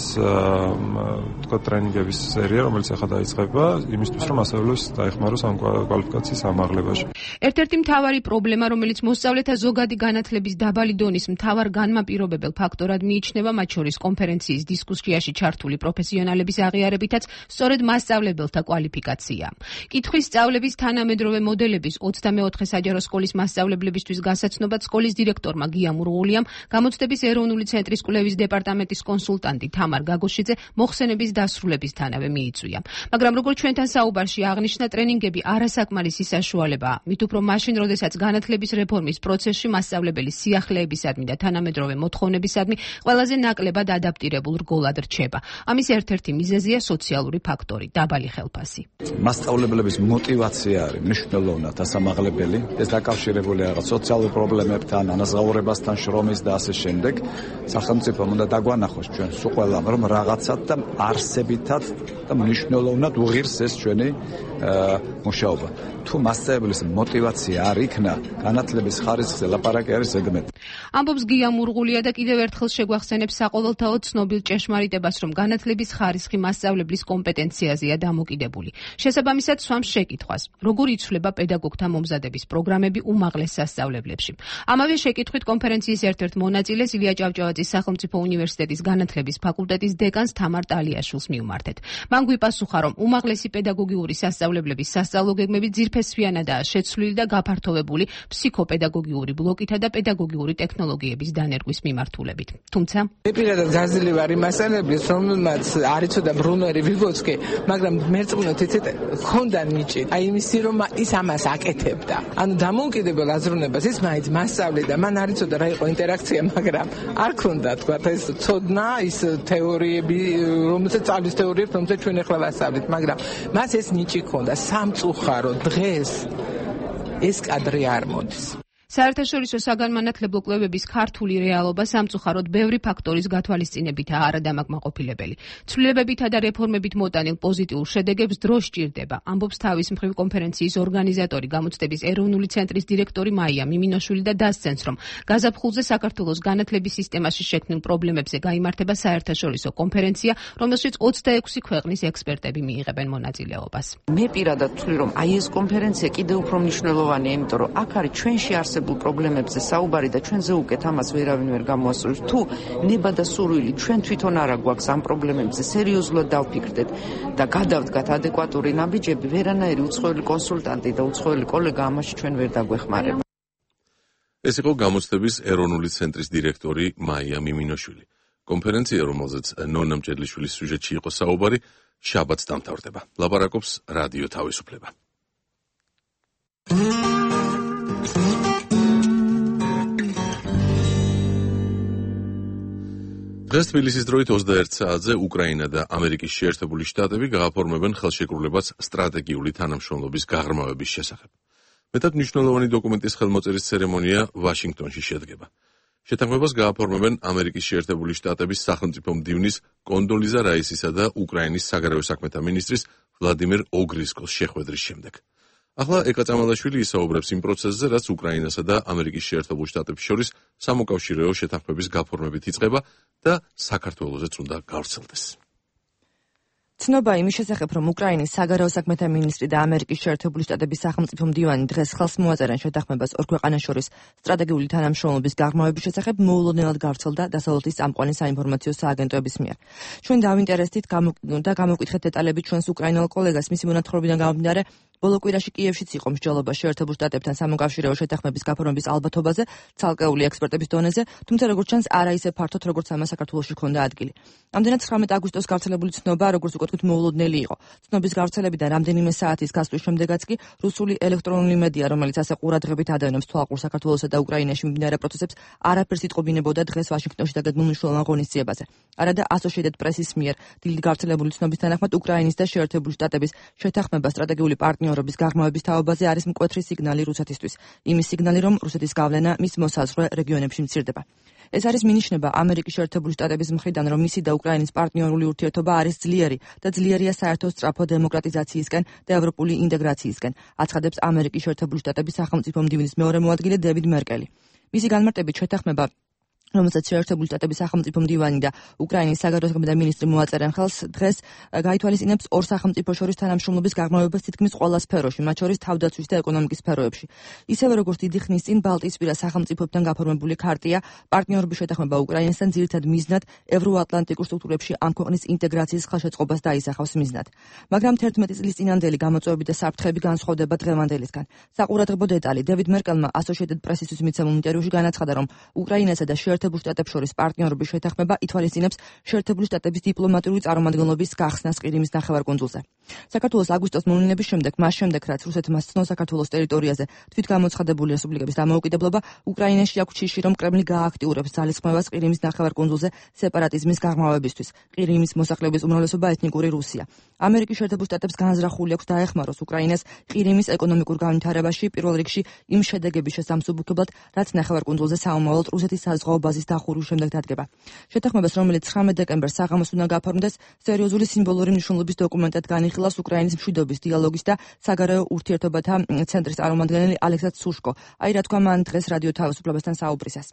თქვა ტრენინგების სერია, რომელიც ახლა დაიწყება, იმისთვის, რომ მასწავლებლებს დაეხმაროს ამ კვალიფიკაციის ამაღლებაში. ერთ-ერთი მთავარი პრობლემა, რომელიც მოსწავლეთა ზოგადი განათლების დაბალი დონის მთავარ განმაპირობებელ ფაქტორად მიიჩნევა, მათ შორის კონფერენციის დისკუსიაში ჩართული პროფესიონალების აღიარებითაც, სწორედ მასწავლებელთა კვალიფიკაცია. კითხვის სწავლების თანამედროვე მოდელების 24 საჯარო სკოლის მასწავლებლებისთვის გასაცნობად სკოლის დირექტორმა გია მურღულიამ, გამოცდების ეროვნული ცენტრის კვლევის დეპარტამენტის კონსულტანტი თამარ გაგოშიძე მოხსენების დასრულებისთანავე მიიწვია. მაგრამ როგორც ჩვენთან საუბარში აღნიშნა, ტრენინგები არასაკმარისი საშუალებაა, მით უფრო მაშინ, როდესაც განათლების რეფორმის პროცესში მასწავლებლის სიახლეებისადმი და თანამედროვე მოთხოვნებისადმი ყველაზე ნაკლებად ადაპტირებულ რგოლად რჩება. ამის ერთ-ერთი მიზეზია სოციალური ფაქტორი, დაბალი ხელფასი. მასწავლებლების мотивация არის მნიშვნელოვნად დასამაღლებელი. ეს დაკავშირებულია რაღაც სოციალურ პრობლემებთან, ანაზღაურებასთან, შრომის და ასე შემდეგ. სახელმწიფომ უნდა დაგვანახოს ჩვენ სულ ყველამ, რომ რაღაცად და არსებითად და მნიშვნელოვნად უღირს ეს ჩვენი მუშაობა. თუ მასწავლებლის мотивация არ იქნა, განათლების ხარისხზე ლაპარაკი არის ზეგმეტი. ამბობს გია მურღულია და კიდევ ერთხელ შეგვახსენებს საყოველთაო ცნობილ ჭეშმარიტებას, რომ განათლების ხარისხი მასწავლებლის კომპეტენციაზეა დამოკიდებული. შესაბამისად, სვამს შეკითხვას, როგორ იცვლება პედაგოგთა მომზადების პროგრამები უმაღლეს სასწავლებლებში. ამავე შეკითხვით კონფერენციის ერთ-ერთ მონაწილეს ილია ჭავჭავაძის სახელმწიფო უნივერსიტეტის განათლების ფაკულტეტის დეკანს თამარ ტალიაშვილს მივმართეთ. მან გვიპასუხა, რომ უმაღლესი პედაგოგიური სასწავლებლების სასწავლო გეგმები ძირფესვიანადაა შეცვლილი და გაფართოვებული ფსიქოპედაგოგიური ბლოკითა და პედაგოგიური ტექნოლოგიების დანერგვის მიმართულებით. თუმცა, მე პირადად გაზრდილი ვარ იმ მასწავლებლის, რომელმაც არ იცოდა ბრუნერი ვიგოცკი, მაგრამ მერწმუნოთ იცით, ქონდა ნიჭი. აი იმისი, რომ ის ამას აკეთებდა. ანუ დამოუკიდებელ აზროვნებას ის მაინც მასწავლიდა, მან არ იცოდა რა იყო ინტერაქცია, მაგრამ არ ქონდა თქვა ეს ცოდნა, ის თეორიები, რომელსაც სწავლის თეორიებს, რომელსაც ჩვენ ახლა ვასწავლეთ, მაგრამ მას ეს ნიჭი ქონდა. სამწუხარო დღეს ეს კადრი არ მოდის. საერთაშორისო საგანმანათლებლო კვლევების ქართული რეალობა სამწუხაროდ ბევრი ფაქტორის გათვალისწინებითაა არადამაკმაყოფილებელი. ცვლილებებითა და რეფორმებით მოტანილ პოზიტიურ შედეგებს დრო სჭირდება, ამბობს თავის მხრივ კონფერენციის ორგანიზატორი, გამოცდების ეროვნული ცენტრის დირექტორი მაია მიმინოშვილი და დასცენს, რომ გაზაფხულზე საქართველოს განათლების სისტემაში შექმნილ პრობლემებზე გაიმართება საერთაშორისო კონფერენცია, რომელშიც 26 ქვეყნის ექსპერტები მიიღებენ მონაწილეობას. მე პირადად ვთვლი, რომ აი ეს კონფერენცია კიდევ უფრო მნიშვნელოვანია, იმიტომ რომ აქ არის ჩვენში პრობლემებზე საუბარი და ჩვენზე უკეთ ამას ვერავინ ვერ გამოასწორებს. თუ ნება და სურვილი ჩვენ თვითონ არა გვაქვს ამ პრობლემებზე სერიოზულად დავფიქრდეთ და გადავდგათ ადეკვატური ნაბიჯები, ვერანაირი უცხოელი კონსულტანტი და უცხოელი კოლეგა ამაში ჩვენ ვერ დაგვეხმარება. ეს იყო გამოცდების ეროვნული ცენტრის დირექტორი მაია მიმინოშვილი. კონფერენცია, რომელზეც ნონა მჭედლიშვილის სიუჟეტში იყო საუბარი, შაბათს დამთავრდება. ლაპარაკობს რადიო თავისუფლება. დღეს თბილისის დროით 21 საათზე უკრაინა და ამერიკის შეერთებული შტატები გააფორმებენ ხელშეკრულებას სტრატეგიული თანამშრომლობის გაღრმავების შესახებ. მეტად მნიშვნელოვანი დოკუმენტის ხელმოწერის ცერემონია ვაშინგტონში შედგება. შეთანხმებას გააფორმებენ ამერიკის შეერთებული შტატების სახელმწიფო მდივნის კონდოლიზა რაისისა და უკრაინის საგარეო საქმეთა მინისტრის ვლადიმერ ოგრისკოს შეხვედრის შემდეგ. ახლა ეკა წამალაშვილი ისაუბრებს იმ პროცესზე, რაც უკრაინასა და ამერიკის შეერთებულ შტატებს შორის სამოკავშირეო შეთანხმების გაფორმებით იწყება და საქართველოსაც უნდა გავრცელდეს. ცნობა იმის შესახებ, რომ უკრაინის საგარეო საქმეთა მინისტრი და ამერიკის შეერთებული შტატების სახელმწიფო მდივანი დღეს ხელს მოაწერენ შეთანხმებას ორ ქვეყანას შორის სტრატეგიული თანამშრომლობის გაღრმავების შესახებ მოულოდნელად გავრცელდა დასავლეთის წამყვანი საინფორმაციო სააგენტოების მიერ. ჩვენ დავინტერესდით და გამოვკითხეთ დეტალები ჩვენს უკრაინელ კოლეგას მისი მონათხრობიდან გამომდინარე, ბოლო კვირაში კიევშიც იყო მსჯელობა შეერთებულ შტატებთან სამოკავშირეო შეთანხმების გაფორმების ალბათობაზე, ცალკეული ექსპერტების დონეზე, თუმცა როგორც ჩანს, არა ისე ფართოდ, როგორც ამას საქართველოში ჰქონდა ადგილი. ამდენად 19 აგვისტოს გავრცელებული ცნობა, როგორც უკვე თქვით, მოულოდნელი იყო. ცნობის გავრცელებიდან რამდენიმე საათის გასვლის შემდეგაც კი რუსული ელექტრონული მედია, რომელიც ასე ყურადღებით ადევნებს თვალყურს საქართველოსა და უკრაინაში მიმდინარე პროცესებს, არაფერს იტყობინებოდა დღეს ვაშინგტონში დაგეგმულ მნიშვნელოვან ღონისძიებაზე. არადა Associated Press-ის მიერ დილით გავრცელებული ცნობის თანახმად უკრაინის და შეერთებული შტატების შეთანხმება სტრატეგიული პარტნიორობის გაღრმავების თაობაზე არის მკვეთრი სიგნალი რუსეთისთვის. იმის სიგნალი, რომ რუსეთის გავლენა მის მოსაზღვრე რეგიონებში მცირდება. ეს არის მინიშნება ამერიკის შეერთებული შტატების მხრიდან, რომ მისი და უკრაინის პარტნიორული ურთიერთობა არის ძლიერი და ძლიერია საერთო სწრაფო დემოკრატიზაციისკენ და ევროპული ინტეგრაციისკენ, აცხადებს ამერიკის შეერთებული შტატების სახელმწიფო მდივნის მეორე მოადგილე დევიდ მერკელი. მისი განმარტებით შეთანხმება, რომელსაც შეერთებული შტატების სახელმწიფო მდივანი და უკრაინის საგარეო საქმეთა მინისტრი მოაწერენ ხელს, დღეს გაითვალისწინებს ორ სახელმწიფო შორის თანამშრომლობის გაღრმავებას თითქმის ყველა სფეროში, მათ შორის თავდაცვის და ეკონომიკის სფეროებში. ისევე როგორც დიდი ხნის წინ ბალტიისპირა სახელმწიფოებთან გაფორმებული ქარტია, პარტნიორობის შეთანხმება უკრაინასთან ძირითად მიზნად ევროატლანტიკურ სტრუქტურებში ამ ქვეყნის ინტეგრაციის ხელშეწყობას დაისახავს მიზნად. მაგრამ 11 წლის წინანდელი გამოწვევები და საფრთხეები განსხვავდება დღევანდელისგან. საყურადღებო დეტალი დევიდ მერკელმა Associated Press-ისთვის მიცემულ ინტერვიუში განაცხადა, რომ უკრაინასა და შეერთებულ შტატებს შორის პარტნიორობის შეთანხმება ითვალისწინებს შეერთებული შტატების დიპლომატიური წარმომადგენლობის გახსნას ყირიმის ნახევარკუნძულზე. საქართველოს აგვისტოს მოვლენების შემდეგ, მას შემდეგ, რაც რუსეთმა სცნო საქართველოს ტერიტორიაზე თვითგამოცხადებული რესპუბლიკების დამოუკიდებლობა, უკრაინაში აქვს შიში, რომ კრემლი გააქტიურებს ძალისხმევას ყირიმის ნახევარკუნძულზე სეპარატიზმის გაღრმავებისთვის. ყირიმის მოსახლეობის უმრავლესობა ეთნიკური რუსია. ამერიკის შეერთებულ შტატებს განზრახული აქვს დაეხმაროს უკრაინას ყირიმის ეკონომიკურ განვითარებაში, პირველ რიგში იმ შედეგების შესამსუბუქებლად, რაც ნახევარკუნძულზე საომავლოდ რუსეთის საზღვაო ბაზის დახურვის შემდეგ დადგება. შეთანხმებას, რომელიც 19 დეკემბერს საღამოს უნდა გაფორმდეს, სერიოზული სიმბოლური მნიშვნელობის დოკუმენტად განიხილავს უკრაინის მშვიდობის, დიალოგის და საგარეო ურთიერთობათა ცენტრის წარმომადგენელი Александр Сушко. აი რა თქვა მან დღეს რადიო თავისუფლებასთან საუბრისას.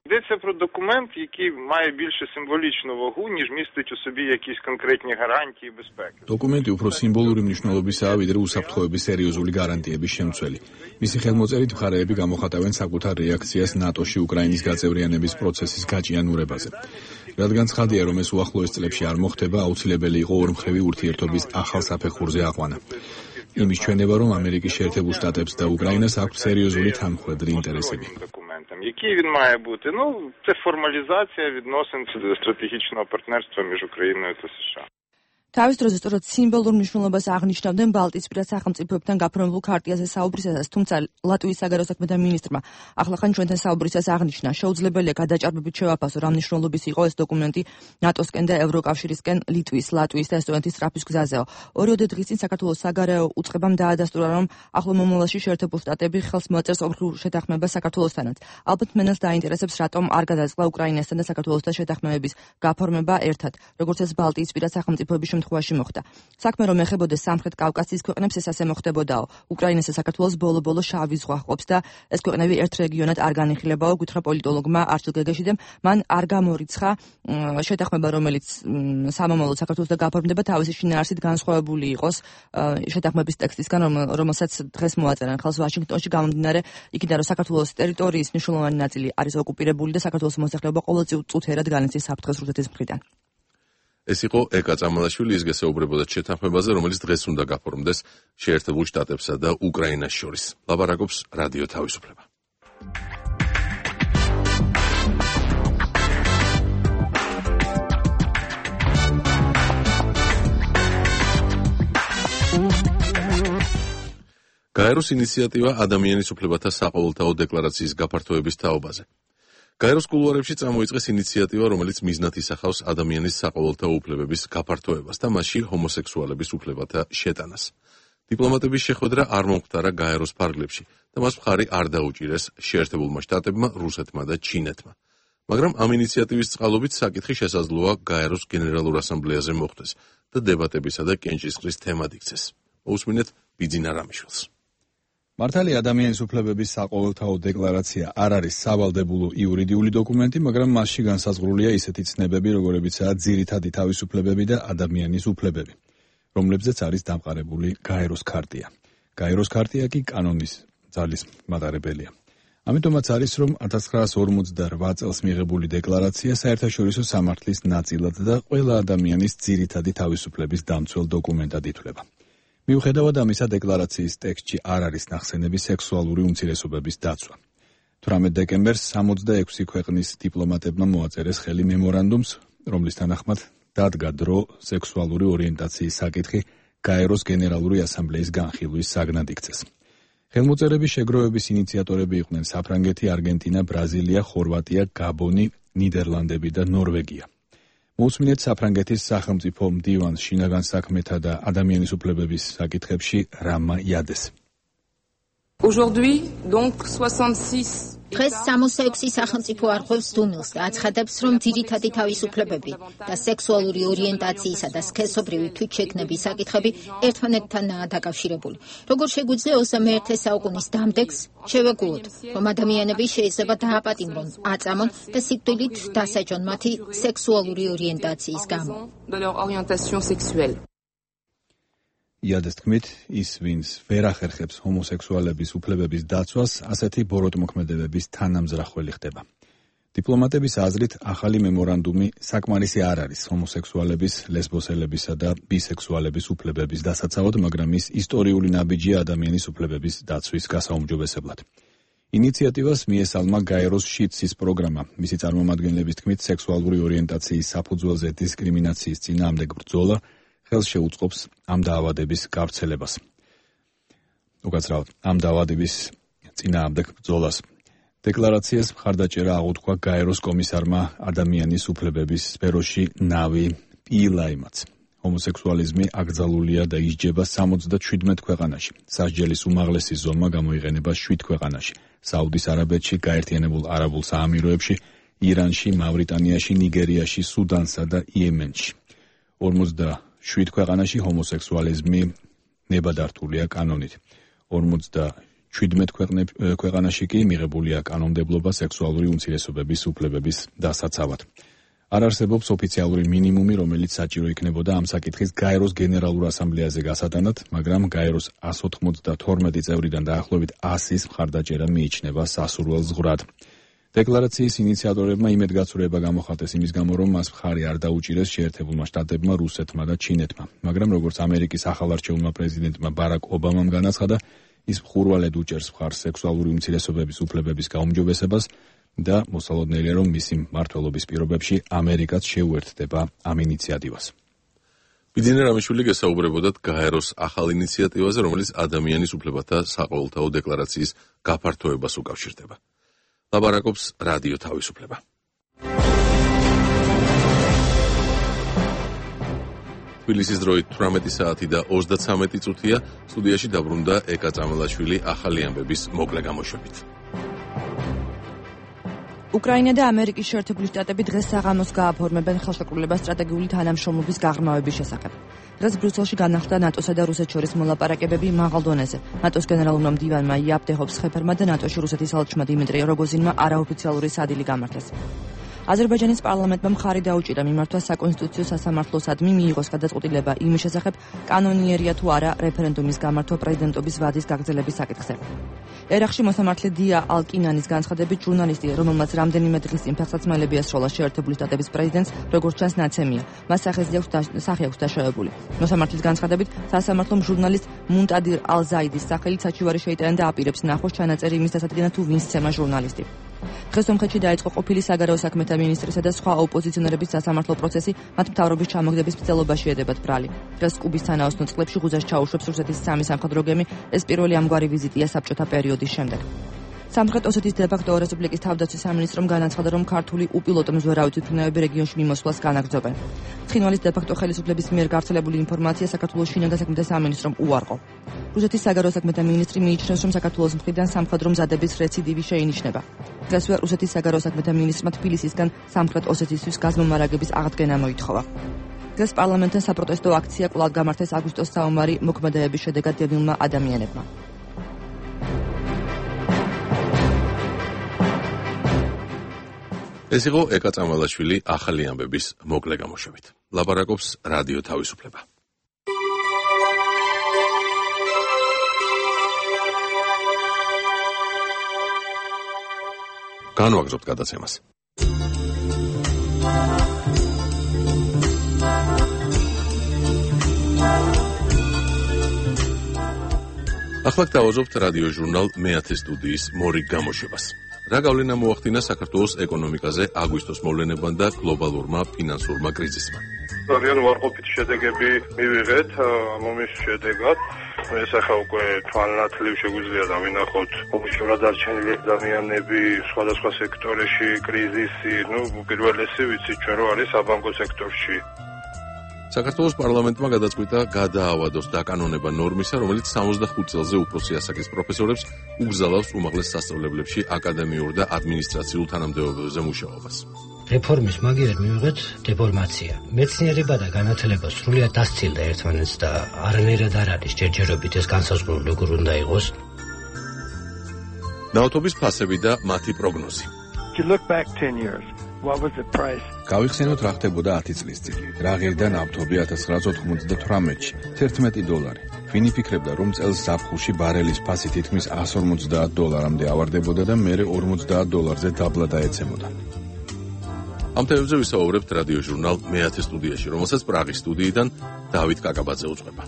Йдеться про документ, який має більше символічну вагу, ніж містить у собі якісь конкретні гарантії безпеки. Документи უფრო სიმბოლური მნიშვნელობისაა, ვიდრე უსაფრთხოების სერიოზული გარანტიების შემცველი. მისი ხელმოწერით მხარეები გამოხატავენ საკუთარ რეაქციას ნატოში უკრაინის გაწევრიანების პროცესის გაჭიანურებაზე. რადგან ცხადია, რომ ეს უახლოეს წლებში არ მოხდება, აუცილებელი იყო ორმხრივი ურთიერთობის ახალ საფეხურზე აყვანა. იმის ჩვენება, რომ ამერიკის შეერთებულ შტატებს და უკრაინას აქვს სერიოზული თანმხლედრი ინტერესები. Який він має бути? Ну, це формалізація відносин стратегічного партнерства між Україною та США. თავის დროზე სწორედ სიმბოლურ მნიშვნელობას აღნიშნავდნენ ბალტიისპირა სახელმწიფოებთან გაფორმებულ ქარტიაზე საუბრისას, თუმცა ლატვიის საგარეო საქმეთა მინისტრმა ახლახან ჩვენთან საუბრისას აღნიშნა, შეუძლებელია გადაჭარბებით შევაფასო, რა მნიშვნელობის იყო ეს დოკუმენტი ნატოსკენ და ევროკავშირისკენ ლიტვის, ლატვიის და ესტონეთის სწრაფის გზაზეო. 2 დღის წინ საქართველოს საგარეო უწყებამ დაადასტურა, რომ ახლო მომავალში შეერთებულ შტატები ხელს მოაწერს ორ შეთანხმებას საქართველოსთანაც. ალბათ მენელს დაინტერესებს, რატომ არ გადაწყდა უკრაინასთან და საქართველოსთან შეთანხმების გაფორმება ერთად, როგორც ეს ბალტიისპირა სახელმწიფოების შემთხვევაში მოხდა. საქმე რომ ეხებოდეს სამხრეთ კავკასიის ქვეყნებს, ეს ასე მოხდებოდაო. უკრაინას და საქართველოს ბოლო-ბოლო შავი ზღვა ჰყოფს და ეს ქვეყნები ერთ რეგიონად არ განიხილებაო, გითხრა პოლიტოლოგმა არჩილ გეგეშიძემ, მან არ გამორიცხა შეთანხმება, რომელიც სამომავლოდ საქართველოს და გაფორმდება, თავისი შინაარსით განსხვავებული იყოს შეთანხმების ტექსტისგან, რომელსაც დღეს მოაწერენ ხელს ვაშინგტონში, გამომდინარე იქიდან, რომ საქართველოს ტერიტორიის მნიშვნელოვანი ნაწილი არის ოკუპირებული და საქართველოს მოსახლეობა ყოველწლიურად წუთერად განიცდის საფრთხეს რუსეთის მხრიდან. ეს იყო ეკა წამალაშვილი, ის გესაუბრებოდა შეთანხმებაზე, რომელიც დღეს უნდა გაფორმდეს შეერთებულ შტატებსა და უკრაინას შორის. ლაპარაკობს რადიო თავისუფლება. გაეროს ინიციატივა ადამიანის უფლებათა საყოველთაო დეკლარაციის გაფართოების თაობაზე. გაეროს კულუარებში წამოიწყეს ინიციატივა, რომელიც მიზნად ისახავს ადამიანის საყოველთაო უფლებების გაფართოებას და მასში ჰომოსექსუალების უფლებათა შეტანას. დიპლომატების შეხვედრა არ მომხდარა გაეროს ფარგლებში და მას მხარი არ დაუჭირეს შეერთებულმა შტატებმა, რუსეთმა და ჩინეთმა. მაგრამ ამ ინიციატივის წყალობით საკითხი შესაძლოა გაეროს გენერალურ ასამბლეაზე მოხდეს და დებატებისა და კენჭისყრის თემად იქცეს. მოусმინეთ ბიძინა რამიშვილს. მართალი ადამიანის უფლებების საყოველთაო დეკლარაცია არ არის სავალდებულო იურიდიული დოკუმენტი, მაგრამ მასში განსაზღვრულია ისეთი ცნებები, როგორებიცაა ძირითადი თავისუფლებები და ადამიანის უფლებები, რომლებზეც არის დამყარებული გაეროს ქარტია. გაეროს ქარტია კი კანონის ძალის მატარებელია. ამიტომაც არის, რომ 1948 წელს მიღებული დეკლარაცია საერთაშორისო სამართლის ნაწილად და ყველა ადამიანის ძირითადი თავისუფლების დამცველ დოკუმენტად ითვლება. მიუხედავად ამისა, დეკლარაციის ტექსტში არ არის ნახსენები სექსუალური უმცირესობების დაცვა. 18 დეკემბერს 66 ქვეყნის დიპლომატებმა მოაწერეს ხელი მემორანდუმს, რომლის თანახმად დადგა დრო სექსუალური ორიენტაციის საკითხი გაეროს გენერალური ასამბლეის განხილვის საგნად იქცეს. ხელმოწერების შეგროვების ინიციატორები იყვნენ საფრანგეთი, არგენტინა, ბრაზილია, ხორვატია, გაბონი, ნიდერლანდები და ნორვეგია. მოусმინეთ საფრანგეთის სახელმწიფო მდივანს შინაგან საქმეთა და ადამიანის უფლებების საკითხებში რამა იადეს. დღეს 66 სახელმწიფო არღვევს დუმილს და აცხადებს, რომ ძირითადი თავისუფლებები და სექსუალური ორიენტაციისა და სქესობრივი თვითშეგნების საკითხები ერთმანეთთანაა დაკავშირებული. როგორც შეგვიძლია 21 საუკუნის დამდეგს შევეგუოთ, რომ ადამიანები შეიძლება დააპატიმრონ, აწამონ და სიკვდილით დასაჯონ მათი სექსუალური ორიენტაციის გამო. იადეს თქმით, ის, ვინც ვერ ახერხებს ჰომოსექსუალების უფლებების დაცვას, ასეთი ბოროტმოქმედებების თანამზრახველი ხდება. დიპლომატების აზრით, ახალი მემორანდუმი საკმარისი არ არის ჰომოსექსუალების, ლესბოსელებისა და ბისექსუალების უფლებების დასაცავად, მაგრამ ის ისტორიული ნაბიჯია ადამიანის უფლებების დაცვის გასაუმჯობესებლად. ინიციატივას მიესალმა გაეროს შიდსის პროგრამა. მისი წარმომადგენლების თქმით, სექსუალური ორიენტაციის საფუძველზე დისკრიმინაციის წინააღმდეგ ბრძოლა ხელს შეუწყობს ამ დაავადების გავრცელებას. უკაცრავად, ამ დაავადების წინააღმდეგ ბრძოლას. დეკლარაციას მხარდაჭერა აღუთქვა გაეროს კომისარმა ადამიანის უფლებების სფეროში ნავი პილაიმაც. ჰომოსექსუალიზმი აკრძალულია და ისჯება 77 ქვეყანაში. სასჯელის უმაღლესი ზომა გამოიყენება 7 ქვეყანაში: საუდის არაბეთში, გაერთიანებულ არაბულ საამიროებში, ირანში, მავრიტანიაში, ნიგერიაში, სუდანსა და იემენში. 47 ქვეყანაში ჰომოსექსუალიზმი ნებადართულია კანონით. 47 ქვეყანაში კი მიღებულია კანონმდებლობა სექსუალური უმცირესობების უფლებების დასაცავად. არ არსებობს ოფიციალური მინიმუმი, რომელიც საჭირო იქნებოდა ამ საკითხის გაეროს გენერალურ ასამბლეაზე გასატანად, მაგრამ გაეროს 192 წევრიდან დაახლოებით 100-ის მხარდაჭერა მიიჩნევა სასურველ ზღვრად. დეკლარაციის ინიციატორებმა იმედგაცრუება გამოხატეს იმის გამო, რომ მას მხარი არ დაუჭირეს შეერთებულმა შტატებმა, რუსეთმა და ჩინეთმა. მაგრამ როგორც ამერიკის ახალარჩეულმა პრეზიდენტმა ბარაკ ობამამ განაცხადა, ის მხურვალედ უჭერს მხარს სექსუალური უმცირესობების უფლებების გაუმჯობესებას და მოსალოდნელია, რომ მისი მმართველობის პირობებში ამერიკაც შეუერთდება ამ ინიციატივას. ბიძინა რამიშვილი გესაუბრებოდათ გაეროს ახალ ინიციატივაზე, რომელიც ადამიანის უფლებათა საყოველთაო დეკლარაციის გაფართოებას უკავშირდება. ლაბარაკობს რადიო თავისუფლება. თბილისის დროით 18 საათი და 33 წუთია, სტუდიაში დაბრუნდა ეკა წამალაშვილი ახალი ამბების მოკლე გამოშვებით. უკრაინა და ამერიკის შეერთებული შტატები დღეს საღამოს გააფორმებენ ხელშეკრულებას სტრატეგიული თანამშრომლობის გაღრმავების შესახებ. დღეს ბრიუსელში განახლდა ნატოსა და რუსეთს შორის მოლაპარაკებები მაღალ დონეზე. ნატოს გენერალურმა მდივანმა იაპ დეჰოფსხეფერმა და ნატოში რუსეთის ალჩმა დიმიტრი როგოზინმა არაოფიციალური სადილი გამართეს. აზერბაიჯანის პარლამენტმა მხარი დაუჭირა მიმართვა საკონსტიტუციო სასამართლოსადმი მიიღოს გადაწყვეტილება იმის შესახებ, კანონიერია თუ არა რეფერენდუმის გამართვა პრეზიდენტობის ვადის გაგრძელების საკითხზე. ერახში მოსამართლე დია ალკინანის განცხადებით, ჟურნალისტი, რომელმაც რამდენიმე დღის წინ ფეხსაცმელები ასროლა შეერთებული შტატების პრეზიდენტს, როგორც ჩანს, ნაცემია. მას სახე აქვს დაშავებული. მოსამართლის განცხადებით, სასამართლომ ჟურნალისტ მუნტადირ ალ-ზაიდის სახელით საჩივარი შეიტანა და აპირებს ნახოს ჩანაწერი იმის დასადგენად, თუ ვინც ცემა ჟურნალისტი. დღეს სომხეთში დაიწყო ყოფილი საგარეო საქმეთა მინისტრისა და სხვა ოპოზიციონერების სასამართლო პროცესი, მათ მთავრობის ჩამოგდების მცდელობაში ედებათ ბრალი. დღეს კუბის თანაოსნო წყლებში ღუზას ჩაუშვებს რუსეთის სამი სამხედრო გემი, ეს პირველი ამგვარი ვიზიტია საბჭოთა პერიოდის შემდეგ. სამხრეთ ოსეთის დე-ფაქტო რესპუბლიკის თავდაცვის სამინისტრომ განაცხადა, რომ ქართული უპილოტო მზვერავი თვითმფრინავები რეგიონში მიმოსვლას განაგრძობენ. ცხინვალის დე-ფაქტო ხელისუფლების მიერ გავრცელებული ინფორმაცია საქართველოს შინაგან საქმეთა სამინისტრომ უარყო. რუსეთის საგარეო საქმეთა მინისტრი მიიჩნევს, რომ საქართველოს მხრიდან სამხედრო მზადების რეციდივი შეინიშნება. დღესვე რუსეთის საგარეო საქმეთა მინისტრმა თბილისისგან სამხრეთ ოსეთისთვის გაზმომარაგების აღდგენა მოითხოვა. დღეს პარლამენტთან საპროტესტო აქცია კვლავ გამართეს აგვისტოს საომარი მოქმედებების შედეგად დევნილმა ადამიანებმა. ეს იყო ეკა წამალაშვილი ახალი ამბების მოკლე გამოშვებით. ლაპარაკობს რადიო თავისუფლება. განვაგრძობთ გადაცემას. ახლა გავაზრობთ რადიო ჟურნალ მეათე სტუდიის მორიგ გამოშვებას. რა გავლენა მოახდინა საქართველოს ეკონომიკაზე აგვისტოს მოვლენებმა და გლობალურმა ფინანსურმა კრიზისმა? ძალიან უარყოფითი შედეგები მივიღეთ ამის შედეგად. ეს ახლა უკვე თვალნათლივ შეგვიძლია დავინახოთ ოფიციალურად დარჩენილი ადამიანები სხვადასხვა სექტორებში, კრიზისი, უპირველესი ვიცით ჩვენ რომ არის საბანკო სექტორში. საქართველოს პარლამენტმა გადაწყვიტა გადაავადოს დაკანონება ნორმისა, რომელიც 65 წელზე უფროსი ასაკის პროფესორებს უგზავნოს უმაღლეს სასწავლებლებში აკადემიურ და ადმინისტრაციულ თანამდებობებზე მუშაობას. რეფორმის მაგიერ მივიღეთ დეფორმაცია. მეცნიერება და განათლება სრულიად დასცილდა ერთმანეთს და არანაირად არ არის ჯერჯერობით ეს განსაზღვრული როგორ უნდა იყოს. ნავთობის ფასები და მათი პროგნოზი. გავიხსენოთ რა ხდებოდა 10 წლის წინ. რა ღირდა ნავთობი 1998-ში $11. ვინ იფიქრებდა, რომ წელს ზაფხულში ბარელის ფასი თითქმის $150-მდე ავარდებოდა და მერე $50-ზე დაბლა დაეცემოდა. ამ თემებზე ვისაუბრებთ რადიო ჟურნალ მეათე სტუდიაში, რომელსაც პრაღის სტუდიიდან დავით კაკაბაძე უძღვება.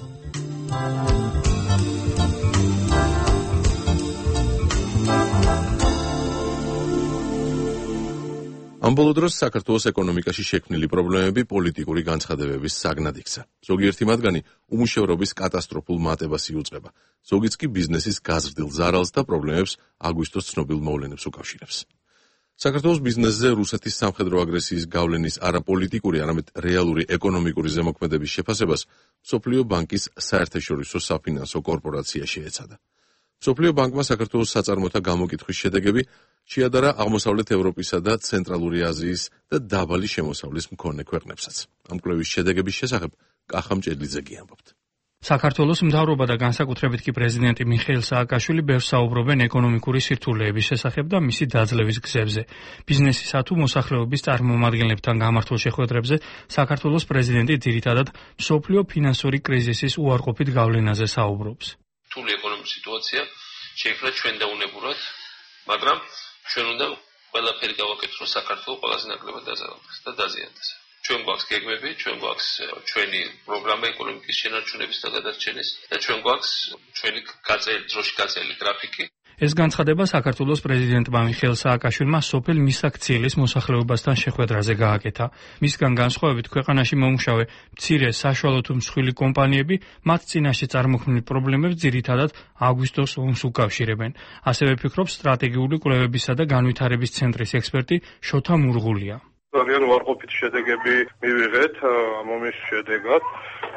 ამ ბოლო დროს საქართველოს ეკონომიკაში შექმნილი პრობლემები პოლიტიკური განცხადებების საგნად იქცა. ზოგიერთი მათგანი უმუშევრობის კატასტროფულ მატებას იუწყება, ზოგიც კი ბიზნესის გაზრდილ ზარალს და პრობლემებს აგვისტოს ცნობილ მოვლენებს უკავშირებს. საქართველოს ბიზნესზე რუსეთის სამხედრო აგრესიის გავლენის არაპოლიტიკური, არამედ რეალური ეკონომიკური ზემოქმედების შეფასებას მსოფლიო ბანკის საერთაშორისო საფინანსო კორპორაცია შეეცადა. მსოფლიო ბანკმა საქართველოს საწარმოთა გამოკითხვის შედეგები შეადარა აღმოსავლეთ ევროპისა და ცენტრალური აზიის და დაბალი შემოსავლის მქონე ქვეყნებსაც. ამ კვლევის შედეგების შესახებ კახა მჭედლიძე ამბობთ. საქართველოს მთავრობა და განსაკუთრებით კი პრეზიდენტი მიხეილ სააკაშვილი ბევრს საუბრობენ ეკონომიკური სირთულეების შესახებ და მისი დაძლევის გზებზე. ბიზნესისა თუ მოსახლეობის წარმომადგენლებთან გამართულ შეხვედრებზე საქართველოს პრეზიდენტი ძირითადად მსოფლიო ფინანსური კრიზისის უარყოფით გავლენაზე საუბრობს. რთული ეკონომიკური სიტუაცია შეიქმნა ჩვენ დაუნებურად, მაგრამ ჩვენ უნდა ყველაფერი გავაკეთოთ, რომ საქართველოს ყველაზე ნაკლებად დაზარალდეს და დაზიანდეს. ჩვენ გვაქვს გეგმები, ჩვენ გვაქვს ჩვენი პროგრამა ეკონომიკის შენარჩუნების და გადარჩენის და ჩვენ გვაქვს ჩვენი დროში გაწეული გრაფიკი. ეს განცხადება საქართველოს პრეზიდენტმა მიხეილ სააკაშვილმა სოფელ მისაქციელის მოსახლეობასთან შეხვედრაზე გააკეთა. მისგან განსხვავებით ქვეყანაში მომუშავე მცირე საშუალო თუ მსხვილი კომპანიები მათ წინაშე წარმოქმნილ პრობლემებს ძირითადად აგვისტოს ომს უკავშირებენ. ასევე ფიქრობს სტრატეგიული კვლევებისა და განვითარების ცენტრის ექსპერტი შოთა მურღულია. ძალიან უარყოფითი შედეგები მივიღეთ ამის შედეგად.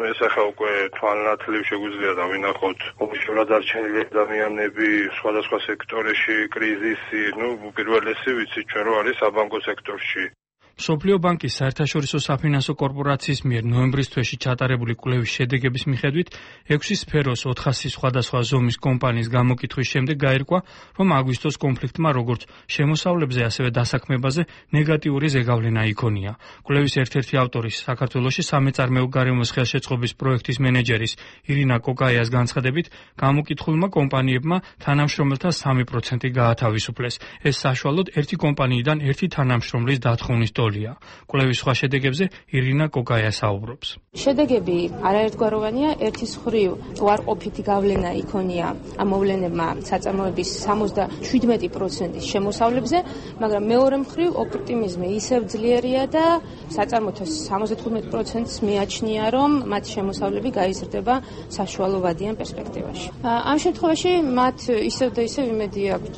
ეს ახლა უკვე თვალნათლივ შეგვიძლია დავინახოთ ოფიციალურად დარჩენილი ადამიანები სხვადასხვა სექტორებში, კრიზისი, უპირველესი ვიცით ჩვენ რომ არის საბანკო სექტორში. მსოფლიო ბანკის საერთაშორისო საფინანსო კორპორაციის მიერ ნოემბრის თვეში ჩატარებული კვლევის შედეგების მიხედვით 6 სფეროს 400 სხვადასხვა ზომის კომპანიის გამოკითხვის შემდეგ გაირკვა, რომ აგვისტოს კონფლიქტმა როგორც შემოსავლებზე, ასევე დასაქმებაზე ნეგატიური ზეგავლენა იქონია. კვლევის ერთ-ერთი ავტორი საქართველოში სამეწარმეო გარემოს ხელშეწყობის პროექტის მენეჯერის ირინა კოკაიას განცხადებით, გამოკითხულმა კომპანიებმა თანამშრომელთა 3% გაათავისუფლეს. ეს საშუალოდ ერთი კომპანიიდან ერთი თანამშრომლის დათხოვნის სწოლია. კვლევის სხვა შედეგებზე ირინა კოკაია საუბრობს. შედეგები არაერთგვაროვანია. ერთის მხრივ უარყოფითი გავლენა იქონია ამ მოვლენებმა საწარმოების 77% შემოსავლებზე, მაგრამ მეორე მხრივ ოპტიმიზმი ისევ ძლიერია და საწარმოთა 75%-ს მიაჩნია, რომ მათი შემოსავლები გაიზრდება საშუალო ვადიან პერსპექტივაში. ამ შემთხვევაში მათ ისევ და ისევ იმედი აქვთ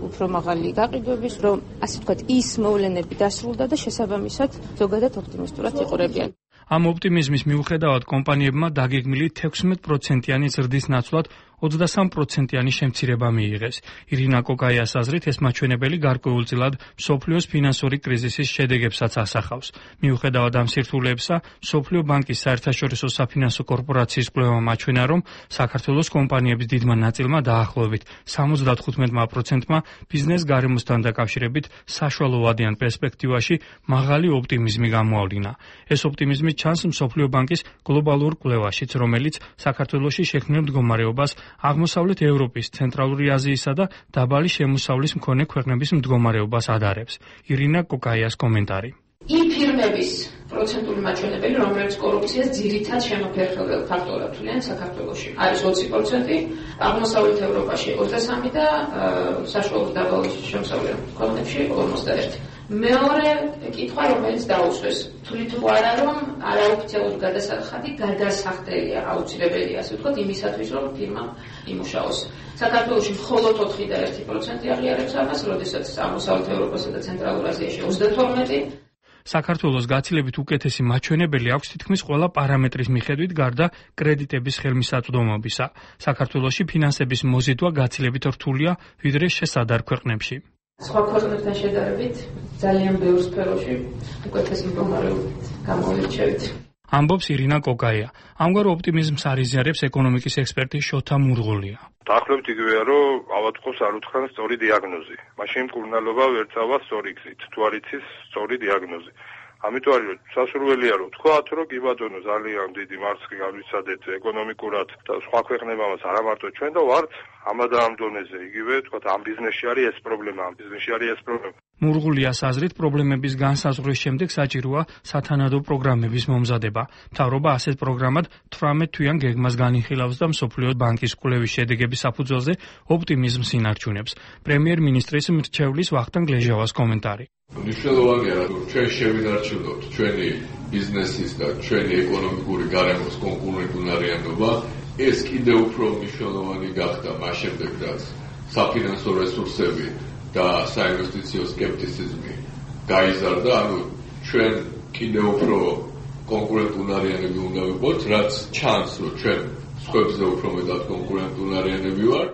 უფრო მაღალი გაყიდვების, რომ ასე ვთქვათ, ის მოვლენები დასრულდა და შესაბამისად ზოგადად ოპტიმისტურად იყურებიან. ამ ოპტიმიზმის მიუხედავად კომპანიებმა დაგეგმილი 16%-იანი ზრდის ნაცვლად 23%-იანი შემცირება მიიღეს. ირინა კოკაიას აზრით, ეს მაჩვენებელი გარკვეულწილად მსოფლიოს ფინანსური კრიზისის შედეგებსაც ასახავს. მიუხედავად ამ სირთულეებსა, მსოფლიო ბანკის საერთაშორისო საფინანსო კორპორაციის კვლევა მაჩვენა, რომ საქართველოს კომპანიების დიდმა ნაწილმა დაახლოებით 75%-მა ბიზნეს გარემოსთან დაკავშირებით საშუალო ვადიან პერსპექტივაში მაღალი ოპტიმიზმი გამოავლინა. ეს ოპტიმიზმი ჩანს მსოფლიო ბანკის გლობალურ კვლევაშიც, რომელიც საქართველოში შექმნილ მდგომარეობას აღმოსავლეთ ევროპის, ცენტრალური აზიისა და დაბალი შემოსავლის მქონე ქვეყნების მდგომარეობას ადარებს. ირინა კოკაიას კომენტარი. იმ ფირმების პროცენტული მაჩვენებელი, რომელიც კორუფციას ძირითად შემოფერხებელ ფაქტორად თვლიან საქართველოში, არის 20%, აღმოსავლეთ ევროპაში 23% და საშუალო დაბალი შემოსავლის ქვეყნებში 51%. მეორე კითხვა, რომელიც დაუსვეს, თვლით თუ არა, რომ არაოფიციალური გადასახადი გადასახდელია, აუცილებელია, ასე ვთქვათ, იმისათვის, რომ ფირმა იმუშაოს. საქართველოში მხოლოდ 4.1% აღიარებს ამას, როდესაც აღმოსავლეთ ევროპასა და ცენტრალურ აზიაში 32%. საქართველოს გაცილებით უკეთესი მაჩვენებელი აქვს თითქმის ყველა პარამეტრის მიხედვით გარდა კრედიტების ხელმისაწვდომობისა. საქართველოში ფინანსების მოზიდვა გაცილებით რთულია, ვიდრე შესადარ ქვეყნებში. სხვა ქვეყნებთან შედარებით ძალიან ბევრ სფეროში უკეთესი მდგომარეობით გამოირჩევით. ამბობს ირინა კოკაია. ამგვარ ოპტიმიზმს არიზიარებს ეკონომიკის ექსპერტი შოთა მურღულია. დაახლოებით იგივეა, რომ ავადმყოფს არ უთხრან სწორი დიაგნოზი. მაშინ მკურნალობა ვერ წავა სწორი გზით, თუ არ იცის სწორი დიაგნოზი. ამიტომ არის სასურველია რომ თქვათ, რომ კი ბატონო ძალიან დიდი მარცხი გავიცადეთ ეკონომიკურად და სხვა ქვეყნებამაც არა მარტო ჩვენ და ვართ ამადა ამ დონეზე. იგივე თქვათ ამ ბიზნესში არის ეს პრობლემა, ამ ბიზნესში არის ეს პრობლემა. მურღულიას აზრით, პრობლემების განსაზღვრის შემდეგ საჭიროა სათანადო პროგრამების მომზადება. მთავრობა ასეთ პროგრამად 18 თვიან გეგმას განიხილავს და მსოფლიო ბანკის კვლევის შედეგების საფუძველზე ოპტიმიზმს ინარჩუნებს. პრემიერ-მინისტრის მრჩევლის ვახტანგ ლეჟავას კომენტარი. მნიშვნელოვანია, რომ ჩვენ შევინარჩუნოთ ჩვენი ბიზნესის და ჩვენი ეკონომიკური გარემოს კონკურენტუნარიანობა. ეს კიდევ უფრო მნიშვნელოვანი გახდა მას შემდეგ, რაც საფინანსო რესურსები და საინვესტიციო სკეპტიციზმი გაიზარდა, ანუ ჩვენ კიდევ უფრო კონკურენტუნარიანები უნდა ვიყოთ, რაც ჩანს, რომ ჩვენ სხვებზე უფრო მეტად კონკურენტუნარიანები ვართ.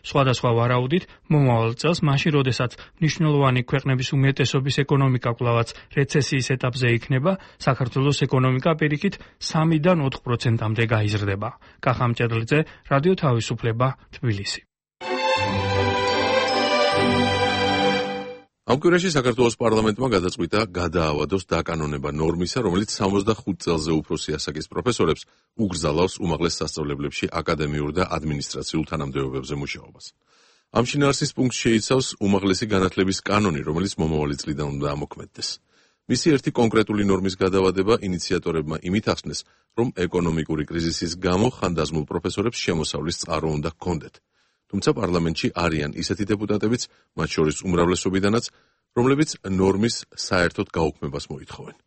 სხვადასხვა ვარაუდით, მომავალ წელს, მაშინ როდესაც მნიშვნელოვანი ქვეყნების უმეტესობის ეკონომიკა კვლავაც რეცესიის ეტაპზე იქნება, საქართველოს ეკონომიკა პირიქით 3-დან 4%-მდე გაიზრდება. კახა მჭედლიძე, რადიო თავისუფლება, თბილისი. ამ კვირაში საქართველოს პარლამენტმა გადაწყვიტა გადაავადოს დაკანონება ნორმისა, რომელიც 65 წელზე უფროსი ასაკის პროფესორებს უგრძალავს უმაღლეს სასწავლებლებში აკადემიურ და ადმინისტრაციულ თანამდებობებზე მუშაობას. ამ შინაარსის პუნქტს შეიცავს უმაღლესი განათლების კანონი, რომელიც მომავალი წლიდან უნდა ამოქმედდეს. მისი ერთი კონკრეტული ნორმის გადავადება ინიციატორებმა იმით ახსნეს, რომ ეკონომიკური კრიზისის გამო ხანდაზმულ პროფესორებს შემოსავლის წყარო უნდა ჰქონდეთ. თუმცა პარლამენტში არიან ისეთი დეპუტატებიც, მათ შორის უმრავლესობიდანაც, რომლებიც ნორმის საერთოდ გაუქმებას მოითხოვენ.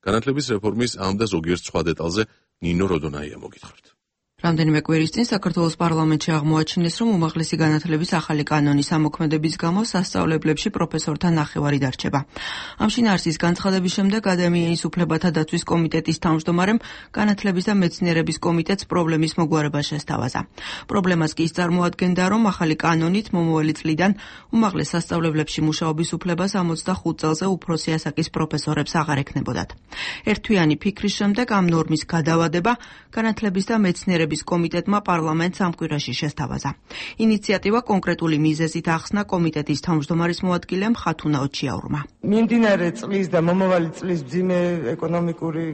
განათლების რეფორმის ამ და ზოგიერთ სხვა დეტალზე ნინო როდონაია მოგითხრით. რამდენიმე კვირის წინ საქართველოს პარლამენტში აღმოაჩინეს, რომ უმაღლესი განათლების ახალი კანონის ამოქმედების გამო სასწავლებლებში პროფესორთა ნახევარი დარჩება. ამ შინაარსის განცხადების შემდეგ აკადემიის უფლებათა დაცვის კომიტეტის თავმჯდომარემ განათლების და მეცნიერების კომიტეტს პრობლემის მოგვარება შესთავაზა. პრობლემას კი ის წარმოადგენდა, რომ ახალი კანონით მომავალი წლიდან უმაღლეს სასწავლებლებში მუშაობის უფლება 65 წელზე უფროსი ასაკის პროფესორებს აღარ ექნებოდათ. ერთთვიანი ფიქრის შემდეგ ამ ნორმის გადავადება განათლების და მეცნიერების მდიდრების კომიტეტმა პარლამენტს ამ კვირაში შესთავაზა. ინიციატივა კონკრეტული მიზეზით ახსნა კომიტეტის თავმჯდომარის მოადგილემ ხათუნა ოჩიაურმა. მიმდინარე წლის და მომავალი წლის მძიმე ეკონომიკური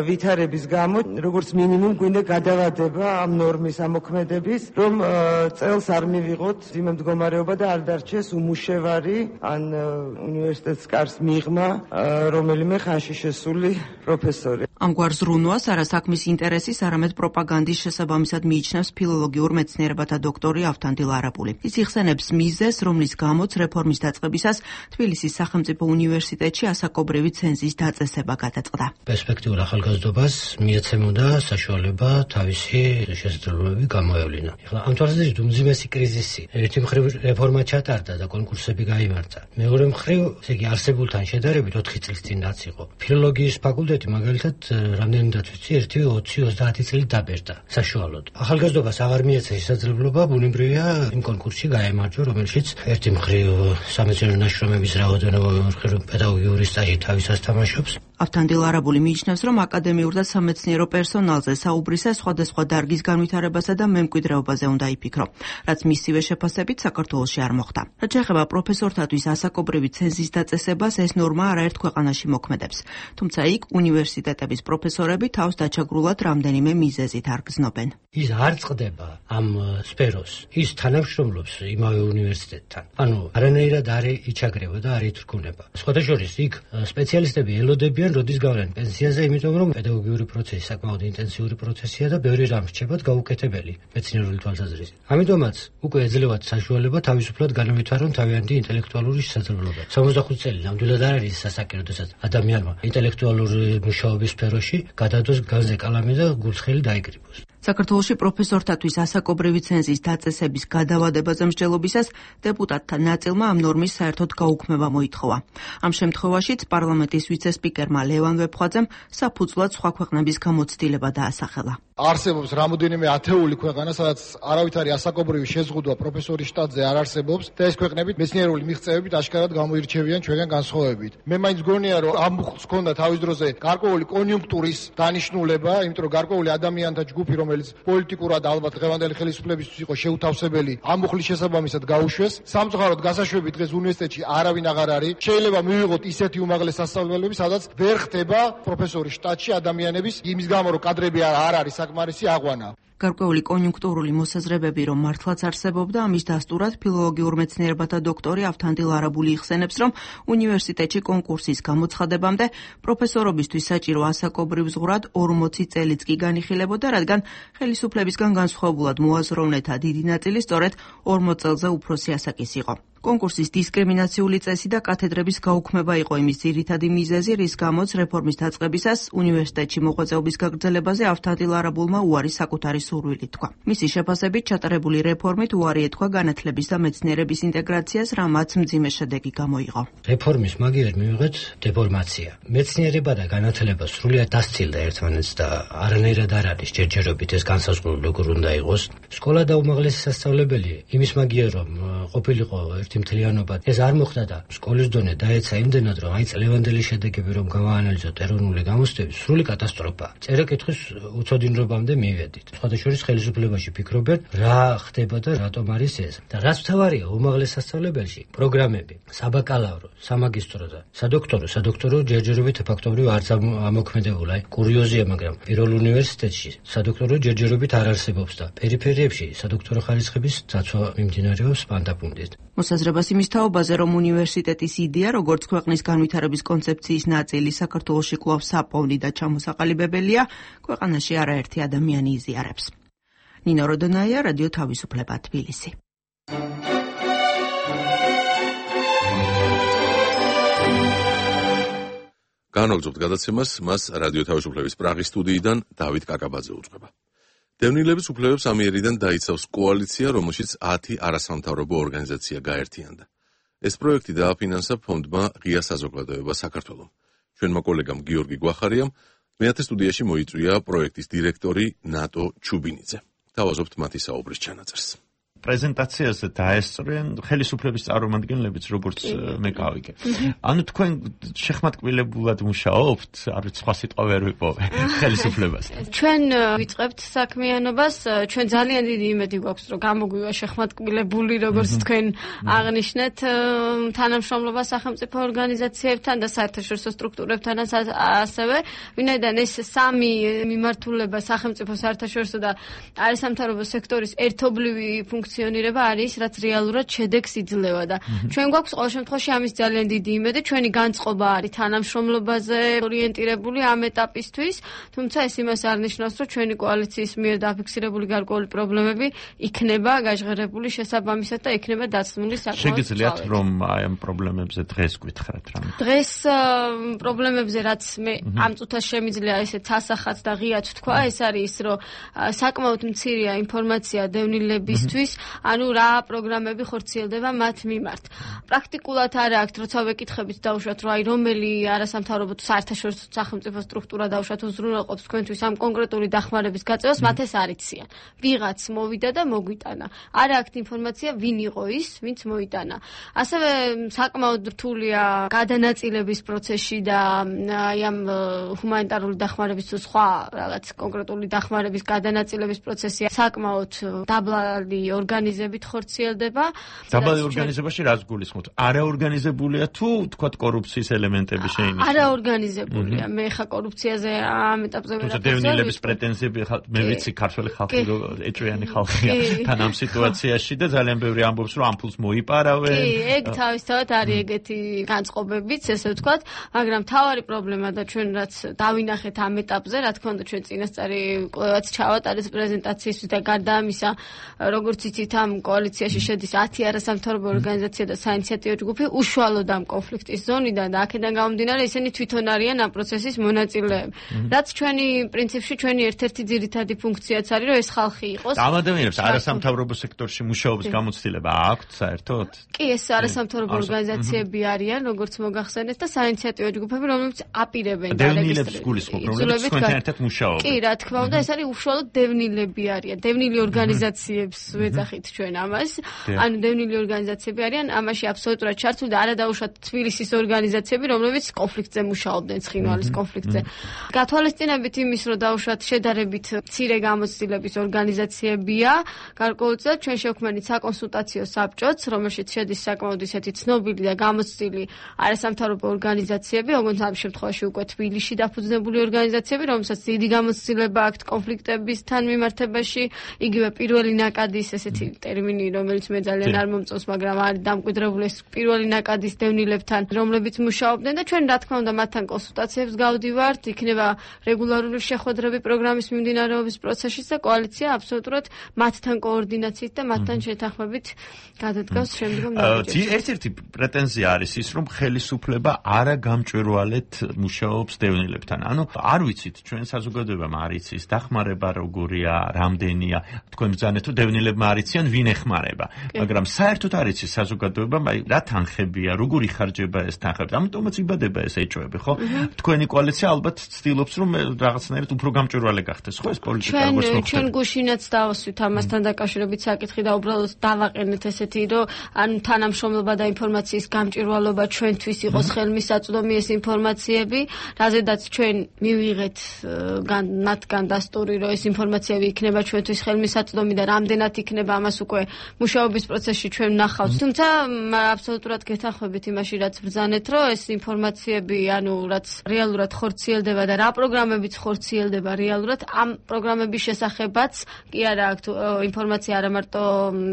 ვითარების გამო, როგორც მინიმუმ გვინდა გადავადება ამ ნორმის ამოქმედების, რომ წელს არ მივიღოთ მძიმე მდგომარეობა და არ დარჩეს უმუშევარი ან უნივერსიტეტს კარს მიღმა რომელიმე ხანში შესული პროფესორი. ამგვარ ზრუნვას არა საქმის ინტერესის, არამედ პროპაგანდის შესაბამისად მიიჩნევს ფილოლოგიურ მეცნიერებათა დოქტორი ავთანდილ არაბული. ის იხსენებს მიზეზს, რომლის გამოც რეფორმის დაწყებისას თბილისის სახელმწიფო უნივერსიტეტში ასაკობრივი ცენზის დაწესება გადაწყდა. პერსპექტიულ ახალგაზრდობას მიეცემოდა საშუალება თავისი შესაძლებლობები გამოევლინა. ეხლა ამ თვალსაზრისით უმძიმესი კრიზისი. ერთი მხრივ რეფორმა ჩატარდა და კონკურსები გაიმართა. მეორე მხრივ, ესე იგი არსებულთან შედარებით 4 წლის წინ რაც იყო. ფილოლოგიის ფაკულტეტი მაგალითად რამდენადაც ვიცი 1-20-30 წელი დაბერდა საშუალოდ. ახალგაზრდობას აღარ მიეცა შესაძლებლობა ბუნებრივია იმ კონკურსში გაემარჯვა, რომელშიც ერთი მხრივ სამეცნიერო ნაშრომების რაოდენობა, მეორე პედაგოგიური სტაჟი თავისას თამაშობს. ავთანდილ არაბული მიიჩნევს, რომ აკადემიურ და სამეცნიერო პერსონალზე საუბრისა სხვადასხვა დარგის განვითარებასა და მემკვიდრეობაზე უნდა იფიქრო, რაც მისივე შეფასებით საქართველოში არ მოხდა. რაც შეეხება პროფესორთათვის ასაკობრივი ცენზის დაწესებას, ეს ნორმა არაერთ ქვეყანაში მოქმედებს. თუმცა იქ უნივერსიტეტების პროფესორები თავს დაჩაგრულად რამდენიმე მიზეზით არ გრძნობენ. ის არ წყდება ამ სფეროს. ის თანამშრომლობს იმავე უნივერსიტეტთან. ანუ არანაირად არ იჩაგრება და არ ითრგუნება. სხვადასხვა იქ სპეციალისტები ელოდებიან როდის გავლენ პენსიაზე, იმიტომ რომ პედაგოგიური პროცესი საკმაოდ ინტენსიური პროცესია და ბევრი რამ რჩებათ გაუკეთებელი მეცნიერული თვალსაზრისით. ამიტომაც უკვე ეძლევათ საშუალება თავისუფლად განავითარონ თავიანთი ინტელექტუალური შესაძლებლობა. 65 წელი ნამდვილად არ არის სასაკი, როდესაც ადამიანმა ინტელექტუალური მუშაობის სფეროში გადადოს განზე კალამი და გულსხელი დაიკრიბოს. საქართველოში პროფესორთათვის ასაკობრივი ცენზის დაწესების გადავადებაზე მსჯელობისას დეპუტატთა ნაწილმა ამ ნორმის საერთოდ გაუქმება მოითხოვა. ამ შემთხვევაშიც პარლამენტის ვიცე-სპიკერმა ლევან ვეფხვაძემ საფუძვლად სხვა ქვეყნების გამოცდილება დაასახელა. არსებობს რამოდენიმე ათეული ქვეყანა, სადაც არავითარი ასაკობრივი შეზღუდვა პროფესორის შტატზე არ არსებობს და ეს ქვეყნები მეცნიერული მიღწევებით აშკარად გამოირჩევიან ჩვენგან განსხვავებით. მე მაინც გონია, რომ ამ ხს ქონდა თავის დროზე გარკვეული კონიუნქტურის დანიშნულება, იმიტომ რომ გარკვეული ადამიანთა ჯგუფი, რომელიც პოლიტიკურად ალბათ დღევანდელი ხელისუფლებისთვის იყო შეუთავსებელი, ამ ხლის შესაბამისად გაუშვეს. სამწუხაროდ გასაშვები დღეს უნივერსიტეტში არავინ აღარ არის. შეიძლება მივიღოთ ისეთი უმაღლეს სასწავლებლები, სადაც ვერ ხდება პროფესორის შტატში ადამიანების იმის გამო, რომ კადრები არ არის საკმარისი აღვანა. გარკვეული კონიუნქტურული მოსაზრებები, რომ მართლაც არსებობდა, ამის დასტურად ფილოლოგიურ მეცნიერებათა დოქტორი ავთანდილ არაბული იხსენებს, რომ უნივერსიტეტში კონკურსის გამოცხადებამდე პროფესორობისთვის საჭირო ასაკობრივ ზღვრად 40 წელიც კი განიხილებოდა, რადგან ხელისუფლებისგან განსხვავებულად მოაზროვნეთა დიდი ნაწილი სწორედ 40 წელზე უფროსი ასაკის იყო. კონკურსის დისკრიმინაციული წესი და კათედრების გაუქმება იყო იმის ძირითადი მიზეზი, რის გამოც რეფორმის დაწყებისას უნივერსიტეტში მოღვაწეობის გაგრძელებაზე ავთანდილ არაბულმა უარი საკუთარი სურვილი თქვა. მისი შეფასებით ჩატარებული რეფორმით უარი ეთქვა განათლების და მეცნიერების ინტეგრაციას, რამაც მძიმე შედეგი გამოიღო. რეფორმის მაგივრად მივიღეთ დეფორმაცია. მეცნიერება და განათლება სრულიად დასცილდა ერთმანეთს და არანაირად არ არის ჯერჯერობით ეს განსაზღვრული როგორ უნდა იყოს. სკოლა და უმაღლესი სასწავლებელი იმის მაგიერ რომ ყოფილიყო ერთი მთლიანობა, ეს არ მოხდა და სკოლის დონე დაეცა იმდენად, რომ აი წლევანდელი შედეგები რომ გავაანალიზოთ ეროვნული გამოცდების, სრული კატასტროფა. წერა-კითხვის უცოდინრობამდე მივედით. სხვადასხვა ხელისუფლებაში ფიქრობენ, რა ხდება და რატომ არის ეს. და რაც მთავარია, უმაღლეს სასწავლებელში პროგრამები, საბაკალავრო, სამაგისტრო და სადოქტორო ჯერჯერობით ფაქტობრივ არც ამოქმედებულა. კურიოზია, მაგრამ პირველ უნივერსიტეტში სადოქტორო ჯერჯერობით არ არსებობს და პერიფერიებში სადოქტორო ხარისხების დაცვა მიმდინარეობს პანდაპუნდით. მოსაზრებას იმის თაობაზე, რომ უნივერსიტეტის იდეა, როგორც ქვეყნის განვითარების კონცეფციის ნაწილი, საქართველოში კვლავ საპოვნი და ჩამოსაყალიბებელია, ქვეყანაში არაერთი ადამიანი იზიარებს. ნინო როდონაია, რადიო თავისუფლება, თბილისი. განვაგრძობთ გადაცემას, მას რადიო თავისუფლების პრაღის სტუდიიდან დავით კაკაბაძე უძღვება. დევნილების უფლებებს ამიერიდან დაიცავს კოალიცია, რომელშიც 10 არასამთავრობო ორგანიზაცია გაერთიანდა. ეს პროექტი დააფინანსა ფონდმა ღია საზოგადოება საქართველომ. ჩვენმა კოლეგამ გიორგი გვახარიამ მეათე სტუდიაში მოიწვია პროექტის დირექტორი ნატო ჩუბინიძე. თავაზობთ მათი საუბრის ჩანაწერს. პრეზენტაციაზე დაესწრნენ ხელისუფლების წარმომადგენლებიც, როგორც მე გავიგე. ანუ თქვენ შეხმატკილებულად მუშაობთ, არ ვიცი, სხვა სიტყვა ვერ ვიპოვე ხელისუფლებას. ჩვენ ვიწყებთ საქმიანობას, ჩვენ ძალიან დიდი იმედი გვაქვს, რომ გამოგვივა შეხმატკილებული, როგორც თქვენ აღნიშნეთ, თანამშრომლობა სახელმწიფო ორგანიზაციებთან და საერთაშორისო სტრუქტურებთან ასევე, ვინაიდან ეს სამი მიმართულება სახელმწიფო, საერთაშორისო და არასამთავრობო სექტორის ერთობლივი ფუნქციონირება არის, რაც რეალურად შედეგს იძლევა და ჩვენ გვაქვს ყოველ შემთხვევაში ამის ძალიან დიდი იმედი, ჩვენი განწყობა არის თანამშრომლობაზე ორიენტირებული ამ ეტაპისთვის, თუმცა ეს იმას არ ნიშნავს, რომ ჩვენი კოალიციის მიერ დაფიქსირებული გარკვეული პრობლემები იქნება გაჟღერებული შესაბამისად და იქნება დაცმული საკმაოდ. შეგიძლიათ რომ აი ამ პრობლემებზე დღეს გითხრათ რამე? დღეს პრობლემებზე რაც მე ამ წუთას შემიძლია ესეც ასახած და ღიად ვთქვა, ეს არის რომ საკმაოდ მცირეა ინფორმაცია დევნილებისთვის, ანუ რა პროგრამები ხორციელდება მათ მიმართ. პრაქტიკულად არ აქვს, როცა ვეკითხებით დაუშვათ, რომ აი რომელი არასამთავრობო თუ საერთაშორისო სახელმწიფო სტრუქტურა დაუშვათ უზრუნველყოფს თქვენთვის ამ კონკრეტული დახმარების გაწევას, მათ ეს არ იციან. ვიღაც მოვიდა და მოგვიტანა. არ აქვს ინფორმაცია, ვინ იყო ის, ვინც მოიტანა. ასევე საკმაოდ რთულია გადანაწილების პროცესში და აი ამ ჰუმანიტარული დახმარების თუ სხვა რაღაც კონკრეტული დახმარების გადანაწილების პროცესი საკმაოდ დაბალი ორგანიზებით ხორციელდება. დაბალი ორგანიზებაში რას გულისხმობთ? არაორგანიზებულია თუ თქვათ კორუფციის ელემენტები შეინიშნება? არაორგანიზებულია. მე ხა კორუფციაზე ამ ეტაპზე ვერ ვარ. დევნილების პრეტენზიები მე ვიცი ქართველი ხალხი რო ეჭვიანი ხალხია თან ამ სიტუაციაში და ძალიან ბევრი ამბობს რომ ამ ფულს მოიპარავენ. კი, ეგ თავისთავად არის ეგეთი განწყობებიც, ესე ვთქვათ, მაგრამ თავარი პრობლემა და ჩვენ რაც დავინახეთ ამ ეტაპზე, რა თქმა უნდა ჩვენ წინასწარი კვლევაც ჩავატარეთ პრეზენტაციისთვის და გარდა ამისა, როგორც იცით, ამ კოალიციაში შედის 10 არასამთავრობო ორგანიზაცია და საინიციატივო ჯგუფი უშუალოდ ამ კონფლიქტის ზონიდან და აქედან გამომდინარე ისინი თვითონ არიან ამ პროცესის მონაწილეები. რაც ჩვენი პრინციპში ჩვენი ერთ-ერთი ძირითადი ფუნქციაც არის, რომ ეს ხალხი იყოს. ამ ადამიანებს არასამთავრობო სექტორში მუშაობის გამოცდილება აქვთ საერთოდ? კი, ეს არასამთავრობო ორგანიზაციები არიან, როგორც მოგახსენეთ და საინიციატივო ჯგუფები, რომლებიც აპირებენ დევნილებს გულისხმობ, რომლებიც თქვენთან ერთად მუშაობენ. კი, რა თქმა უნდა, ეს არის უშუალოდ დევნილები არიან. დევნილი ორგანიზაციებს ვეძახით ჩვენ ამას. ანუ დევნილი ორგანიზაციები არიან, ამაში აბსოლუტურად ჩართული და არა დაუშვათ თბილისის ორგანიზაციები, რომლებიც კონფლიქტზე მუშაობდნენ, ცხინვალის კონფლიქტზე. გათვალისწინებით იმის, რომ დაუშვათ შედარებით მცირე გამოცდილების ორგანიზაციებია, გარკვეულწილად ჩვენ შევქმნით საკონსულტაციო საბჭოც, რომელშიც შედის საკმაოდ ისეთი ცნობილი და გამოცდილი არასამთავრობო ორგანიზაციები, როგორც ამ შემთხვევაში უკვე თბილისში დაფუძნებული ორგანიზაციები, რომელსაც დიდი გამოცდილება აქვთ კონფლიქტებისთან მიმართებაში, იგივე პირველი ნაკადის ესეთი ტერმინი, რომელიც მე ძალიან არ მომწონს, მაგრამ არის დამკვიდრებული ეს პირველი ნაკადის დევნილებთან, რომლებიც მუშაობდნენ და ჩვენ რა თქმა უნდა მათთან კონსულტაციებს გავდივართ, იქნება რეგულარული შეხვედრები პროგრამის მიმდინარეობის პროცესშიც და კოალიცია აბსოლუტურად მათთან კოორდინაციით და მათთან შეთანხმებით გადადგავს შემდგომ ნაბიჯებს. ერთ-ერთი პრეტენზია არის ის, რომ ხელისუფლება არა გამჭვირვალედ მუშაობს დევნილებთან. ანუ არ ვიცით, ჩვენ საზოგადოებამ არ იცის დახმარება როგორია, რამდენია, თქვენ ბრძანეთ თუ დევნილებმა არ იციან, ვინ ეხმარება. მაგრამ საერთოდ არ იცის საზოგადოებამ, აი რა თანხებია, როგორ იხარჯება ეს თანხები. ამიტომაც იბადება ეს ეჭვები, ხო? თქვენი კოალიცია ალბათ ცდილობს, რომ რაღაცნაირად უფრო გამჭვირვალე გახდეს, ხო ეს პოლიტიკა როგორც მოხდება. ჩვენ გუშინაც დავასვით ამასთან დაკავშირებით საკითხი და უბრალოდ დავაყენეთ ესეთი, რომ ანუ თანამშრომლობა და ინფორმაციის გამჭვირვალობა ჩვენთვის იყოს ხელმისაწვდომი ეს ინფორმაციები, რაზედაც ჩვენ მივიღეთ მათგან დასტური, რომ ეს ინფორმაციები იქნება ჩვენთვის ხელმისაწვდომი და რამდენად იქნება ამას უკვე მუშაობის პროცესში ჩვენ ვნახავთ. თუმცა აბსოლუტურად გეთანხმებით იმაში, რაც ბრძანეთ, რომ ეს ინფორმაციები, ანუ რაც რეალურად ხორციელდება და რა პროგრამებიც ხორციელდება რეალურად, ამ პროგრამების შესახებაც კი არა აქვს ინფორმაცია არა მარტო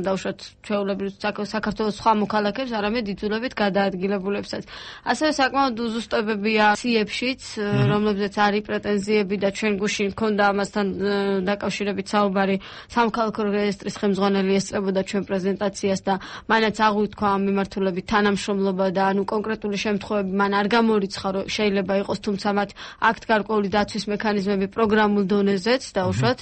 დაუშვათ ჩვეულებრივ საქართველოს სხვა მოქალაქეებს, არამედ იძულებით გადაადგილებულებსაც. ასევე საკმაოდ უზუსტებებია ციებშიც, რომლებზეც არის პრეტენზიები და ჩვენ გუშინ მქონდა ამასთან დაკავშირებით საუბარი სამოქალაქო რეესტრის ხელმძღვანელი ესწრებოდა ჩვენ პრეზენტაციას და მანაც აღვიქვა ამ მიმართულებით თანამშრომლობა და ანუ კონკრეტული შემთხვევები მან არ გამორიცხა, რომ შეიძლება იყოს, თუმცა მათ აქვთ გარკვეული დაცვის მექანიზმები პროგრამულ დონეზეც დაუშვათ,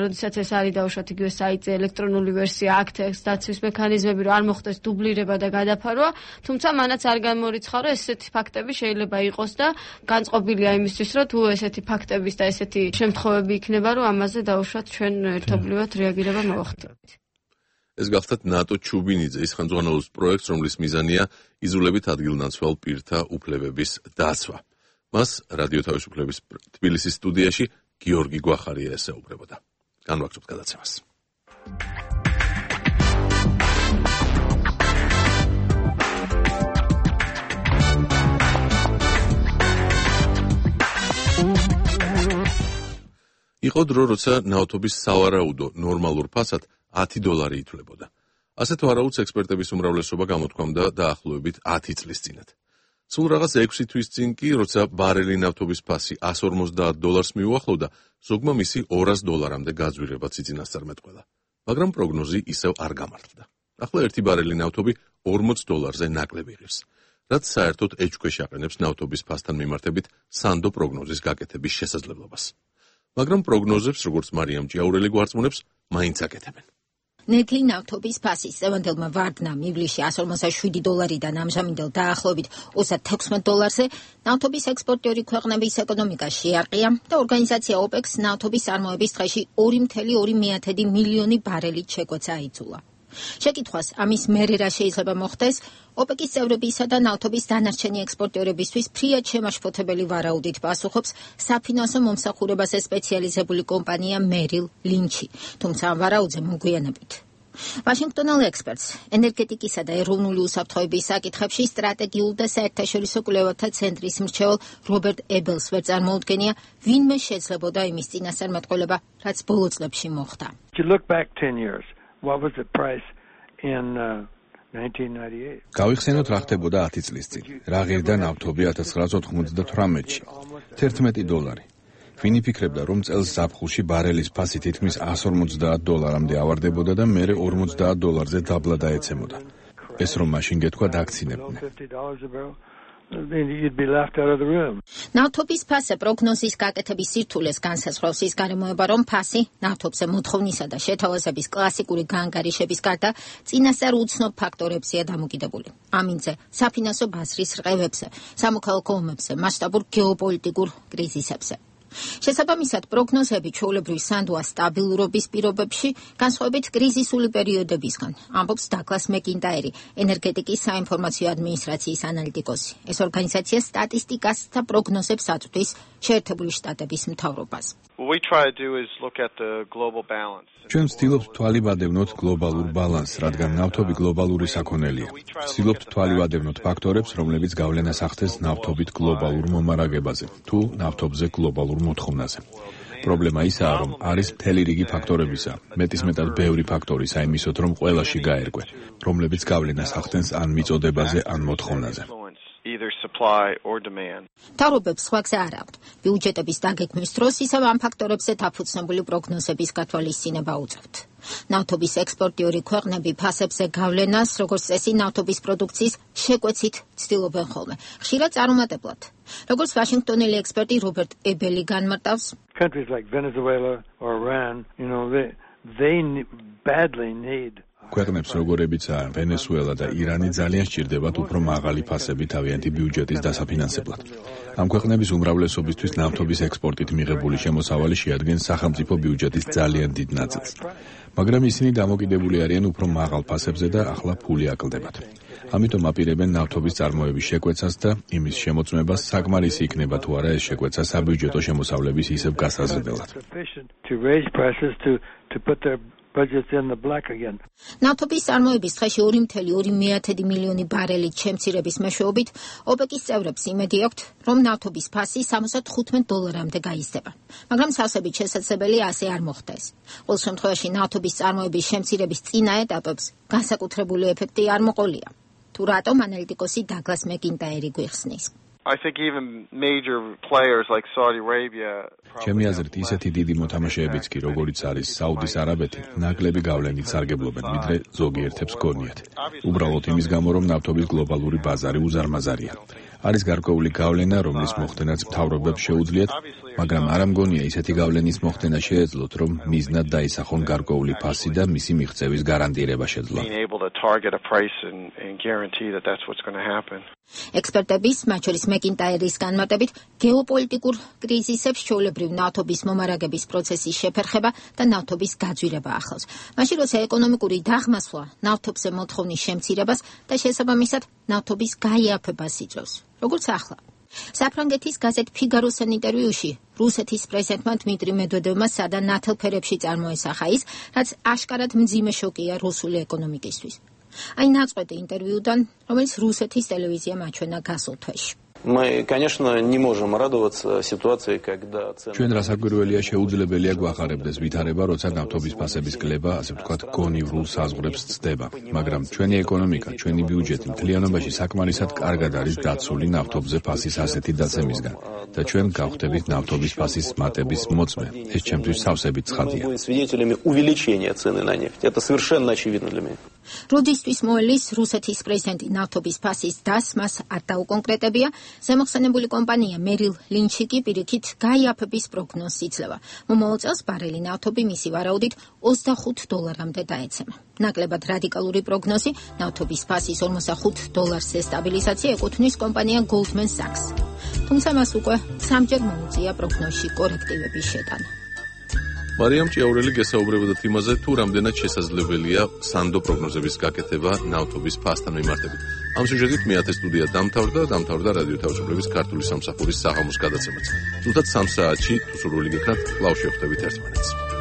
როდესაც ეს არის დაუშვათ იგივე საიტზე ელექტრონული ვერსია, აქვთ ეს დაცვის მექანიზმები, რომ არ მოხდეს დუბლირება და გადაფარვა, თუმცა მანაც არ გამორიცხა, რომ ესეთი ფაქტები შეიძლება იყოს და განწყობილია იმისთვის, რომ თუ ესეთი ფაქტების და ესეთი შემთხვევები იქნება, რომ ამაზე დაუშვათ ჩვენ ერთობლივად რეაგირება მოვახდინოთ. ეს გახლდათ ნატო ჩუბინიძის ხელმძღვანელობის პროექტს, რომლის მიზანია იზოლებით ადგილნაცვალ პირთა უფლებების დაცვა. მას რადიო თავისუფლების თბილისის სტუდიაში გიორგი გვახარია ესაუბრებოდა. განვაგრძობთ გადაცემას. იყო დრო, როცა ნავთობის სავარაუდო ნორმალურ ფასად $10 ითვლებოდა. ასეთ ვარაუდს ექსპერტების უმრავლესობა გამოთქვამდა დაახლოებით 10 წლის წინათ. სულ რაღაც 6 თვის წინ კი, როცა ბარელი ნავთობის ფასი $150 მიუახლოვდა, ზოგმა მისი $200-მდე გაძვირებაც იწინასწარმეტყველა. მაგრამ პროგნოზი ისევ არ გამართლდა. ახლა ერთი ბარელი ნავთობი $40-ზე ნაკლები ღირს, რაც საერთოდ ეჭვქვეშ აყენებს ნავთობის ფასთან მიმართებით სანდო პროგნოზის გაკეთების შესაძლებლობას. მაგრამ პროგნოზებს, როგორც მარიამ ჭიაურელი გვარწმუნებს, მაინც აკეთებენ. ნედლი ნავთობის ფასის წევანდელმა ვარდნამ ივლისში $157-დან ამჟამინდელ დაახლოებით $36-ზე ნავთობის ექსპორტიორი ქვეყნების ეკონომიკა შეარყია და ორგანიზაცია OPEC-ს ნავთობის წარმოების დღეში 2,2 მილიონი ბარელით შეკვეცა აიძულა. შეკითხვას ამის მერე რა შეიძლება მოხდეს, OPEC-ის წევრებისა და ნავთობის დანარჩენი ექსპორტიორებისთვის ფრიად შემაშფოთებელი ვარაუდით პასუხობს საფინანსო მომსახურებაზე სპეციალიზებული კომპანია Merrill Lynch, თუმცა ამ ვარაუდზე მოგვიანებით. ვაშინგტონელ ექსპერტს ენერგეტიკისა და ეროვნული უსაფრთხოების საკითხებში სტრატეგიულ და საერთაშორისო კვლევათა ცენტრის მრჩეველ რობერტ ებელს ვერ წარმოუდგენია, ვინმე შეძლებოდა იმის წინასწარმეტყველება, რაც ბოლო წლებში მოხდა. What was the price in 1998? გავიხსენოთ რა ხდებოდა 10 წლის წინ. რა ღირდა ნავთობი 1998-ში? $11. ვინ იფიქრებდა, რომ წელს ზაფხულში ბარელის ფასი თითქმის $150-მდე ავარდებოდა და მერე $50-ზე დაბლა დაეცემოდა. ეს რომ მაშინ გეთქვა დაქცინებდნენ. ნავთობის ფასზე პროგნოზის გაკეთების სირთულეს განსაზღვრავს ის გარემოება, რომ ფასი ნავთობზე მოთხოვნისა და შეთავაზების კლასიკური გაანგარიშების გარდა წინასწარ უცნობ ფაქტორებზეა დამოკიდებული. ამინდზე, საფინანსო ბაზრის რყევებზე, სამოქალაქო ომებზე, მასშტაბურ გეოპოლიტიკურ კრიზისებზე. შესაბამისად, პროგნოზები ჩვეულებრივ სანდოა სტაბილურობის პირობებში, განსხვავებით კრიზისული პერიოდებისგან, ამბობს დაგლას მეკინტაერი, ენერგეტიკის საინფორმაციო ადმინისტრაციის ანალიტიკოსი. ეს ორგანიზაცია სტატისტიკას და პროგნოზებს აწვდის შეერთებული შტატების მთავრობას. ჩვენ ვცდილობთ თვალივადევნოთ გლობალურ ბალანსს, რადგან ნავთობი გლობალური საქონელია. ვცდილობთ თვალივადევნოთ ფაქტორებს, რომლებიც გავლენას ახდენს ნავთობით გლობალურ მომარაგებაზე, თუ ნავთობზე გლობალურ მოთხოვნაზე. პრობლემა ისაა, რომ არის მთელი რიგი ფაქტორებისა, მეტისმეტად ბევრი ფაქტორი საიმისოდ, რომ ყველაში გაერკვე, რომლებიც გავლენას ახდენს ან მიწოდებაზე, ან მოთხოვნაზე. თავრობებს სხვა გზა არ აქვთ. ბიუჯეტების დაგეგმვის დროს ისევ ამ ფაქტორებზე დაფუძნებული პროგნოზების გათვალისწინება უწევთ. ნავთობის ექსპორტიორი ქვეყნები ფასებზე გავლენას, როგორც წესი, ნავთობის პროდუქციის შეკვეცით ცდილობენ ხოლმე. ხშირად წარუმატებლად. როგორც ვაშინგტონელი ექსპერტი რობერტ ებელი განმარტავს, countries like Venezuela or Iran, they badly need ქვეყნებს როგორებიცაა ვენესუელა და ირანი ძალიან სჭირდებათ უფრო მაღალი ფასები თავიანთი ბიუჯეტის დასაფინანსებლად. ამ ქვეყნების უმრავლესობისთვის ნავთობის ექსპორტით მიღებული შემოსავალი შეადგენს სახელმწიფო ბიუჯეტის ძალიან დიდ ნაწილს. მაგრამ ისინი დამოკიდებული არიან უფრო მაღალ ფასებზე და ახლა ფული აკლდებათ. ამიტომ აპირებენ ნავთობის წარმოების შეკვეცას და იმის შემოწმებას, საკმარისი იქნება თუ არა ეს შეკვეცა საბიუჯეტო შემოსავლების ისევ გასაზრდელად. ნავთობის წარმოების დღეში 2,2 მილიონი ბარელით შემცირების მეშვეობით, OPEC-ის წევრებს იმედი აქვთ, რომ ნავთობის ფასი $75-მდე გაიზრდება. მაგრამ სავსებით შესაძლებელია ასე არ მოხდეს. ყოველ შემთხვევაში ნავთობის წარმოების შემცირების წინა ეტაპებს განსაკუთრებული ეფექტი არ მოყოლია. თუ რატომ, ანალიტიკოსი დაგლას მეკინტაერი გვიხსნის. I think even major players like Saudi Arabia ჩემი აზრით ისეთი დიდი მოთამაშეებიც კი როგორიც არის საუდის არაბეთი ნაკლები გავლენით სარგებლობენ ვიდრე ზოგიერთებს გონიათ. უბრალოდ იმის გამო რომ ნავთობის გლობალური ბაზარი უზარმაზარია. არის გარკვეული გავლენა, რომლის მოხდენაც მთავრობებს შეუძლიათ, მაგრამ არ ამგონია ისეთი გავლენის მოხდენა შეეძლოთ, რომ მიზნად დაისახონ გარკვეული ფასი და მისი მიღწევის გარანტირება შეძლო. ექსპერტების, მათ შორის მეკინტაერის განმარტებით, გეოპოლიტიკურ კრიზისებს ჩვეულებრივ ნავთობის მომარაგების პროცესის შეფერხება და ნავთობის გაძვირება ახლავს. მაშინ როცა ეკონომიკური დაღმასვლა ნავთობზე მოთხოვნის შემცირებას და შესაბამისად ნავთობის გაიაფებას იწვევს. როგორც ახლა. საფრანგეთის გაზეთ ფიგაროსთან ინტერვიუში რუსეთის პრეზიდენტმა დმიტრი მედვედევმა სადა ნათელფერებში წარმოესახა ის, რაც აშკარად მძიმე შოკია რუსული ეკონომიკისთვის. Აი ნაწყვეტი ინტერვიუდან, რომელიც რუსეთის ტელევიზიამ აჩვენა გასულ თვეში. Мы, конечно, не можем радоваться ситуации, когда ჩვენ რასაკვირველია შეუძლებელია გვახარებდეს ვითარება, როცა ნავთობის ფასების კლება, ასე ვთქვათ, გონივრულ საზღვრებს ცდება. მაგრამ ჩვენი ეკონომიკა, ჩვენი ბიუჯეტი მთლიანობაში საკმარისად კარგად არის დაცული ნავთობზე ფასის ასეთი დაცემისგან და ჩვენ გავხდებით ნავთობის ფასის მატების მოწმე. ეს ჩემთვის სავსებით ცხადია. როდისთვის მოელის რუსეთის პრეზიდენტი ნავთობის ფასის დასმას არ დაუკონკრეტებია, ზემოხსენებული კომპანია მერილ ლინჩი კი პირიქით გაიაფების პროგნოზს იძლევა. მომავალ წელს ბარელი ნავთობი მისი ვარაუდით $25-მდე დაეცემა. ნაკლებად რადიკალური პროგნოზი ნავთობის ფასის $45-ზე სტაბილიზაცია ეკუთვნის კომპანია Goldman Sachs. თუმცა მას უკვე 3-ჯერ მოუწია პროგნოზში კორექტივების შეტანა. მარიამ ჭიაურელი გესაუბრებოდა იმაზე, თუ რამდენად შესაძლებელია სანდო პროგნოზების გაკეთება ნავთობის ფასთან მიმართებით. ამ სიუჟეტით მეათე სტუდია დამთავრდა რადიო თავისუფლების ქართული სამსახურის საღამოს გადაცემაც. თუმცა 3 საათში თუ სურვილი გექნათ, კვლავ შევხვდებით ერთმანეთს.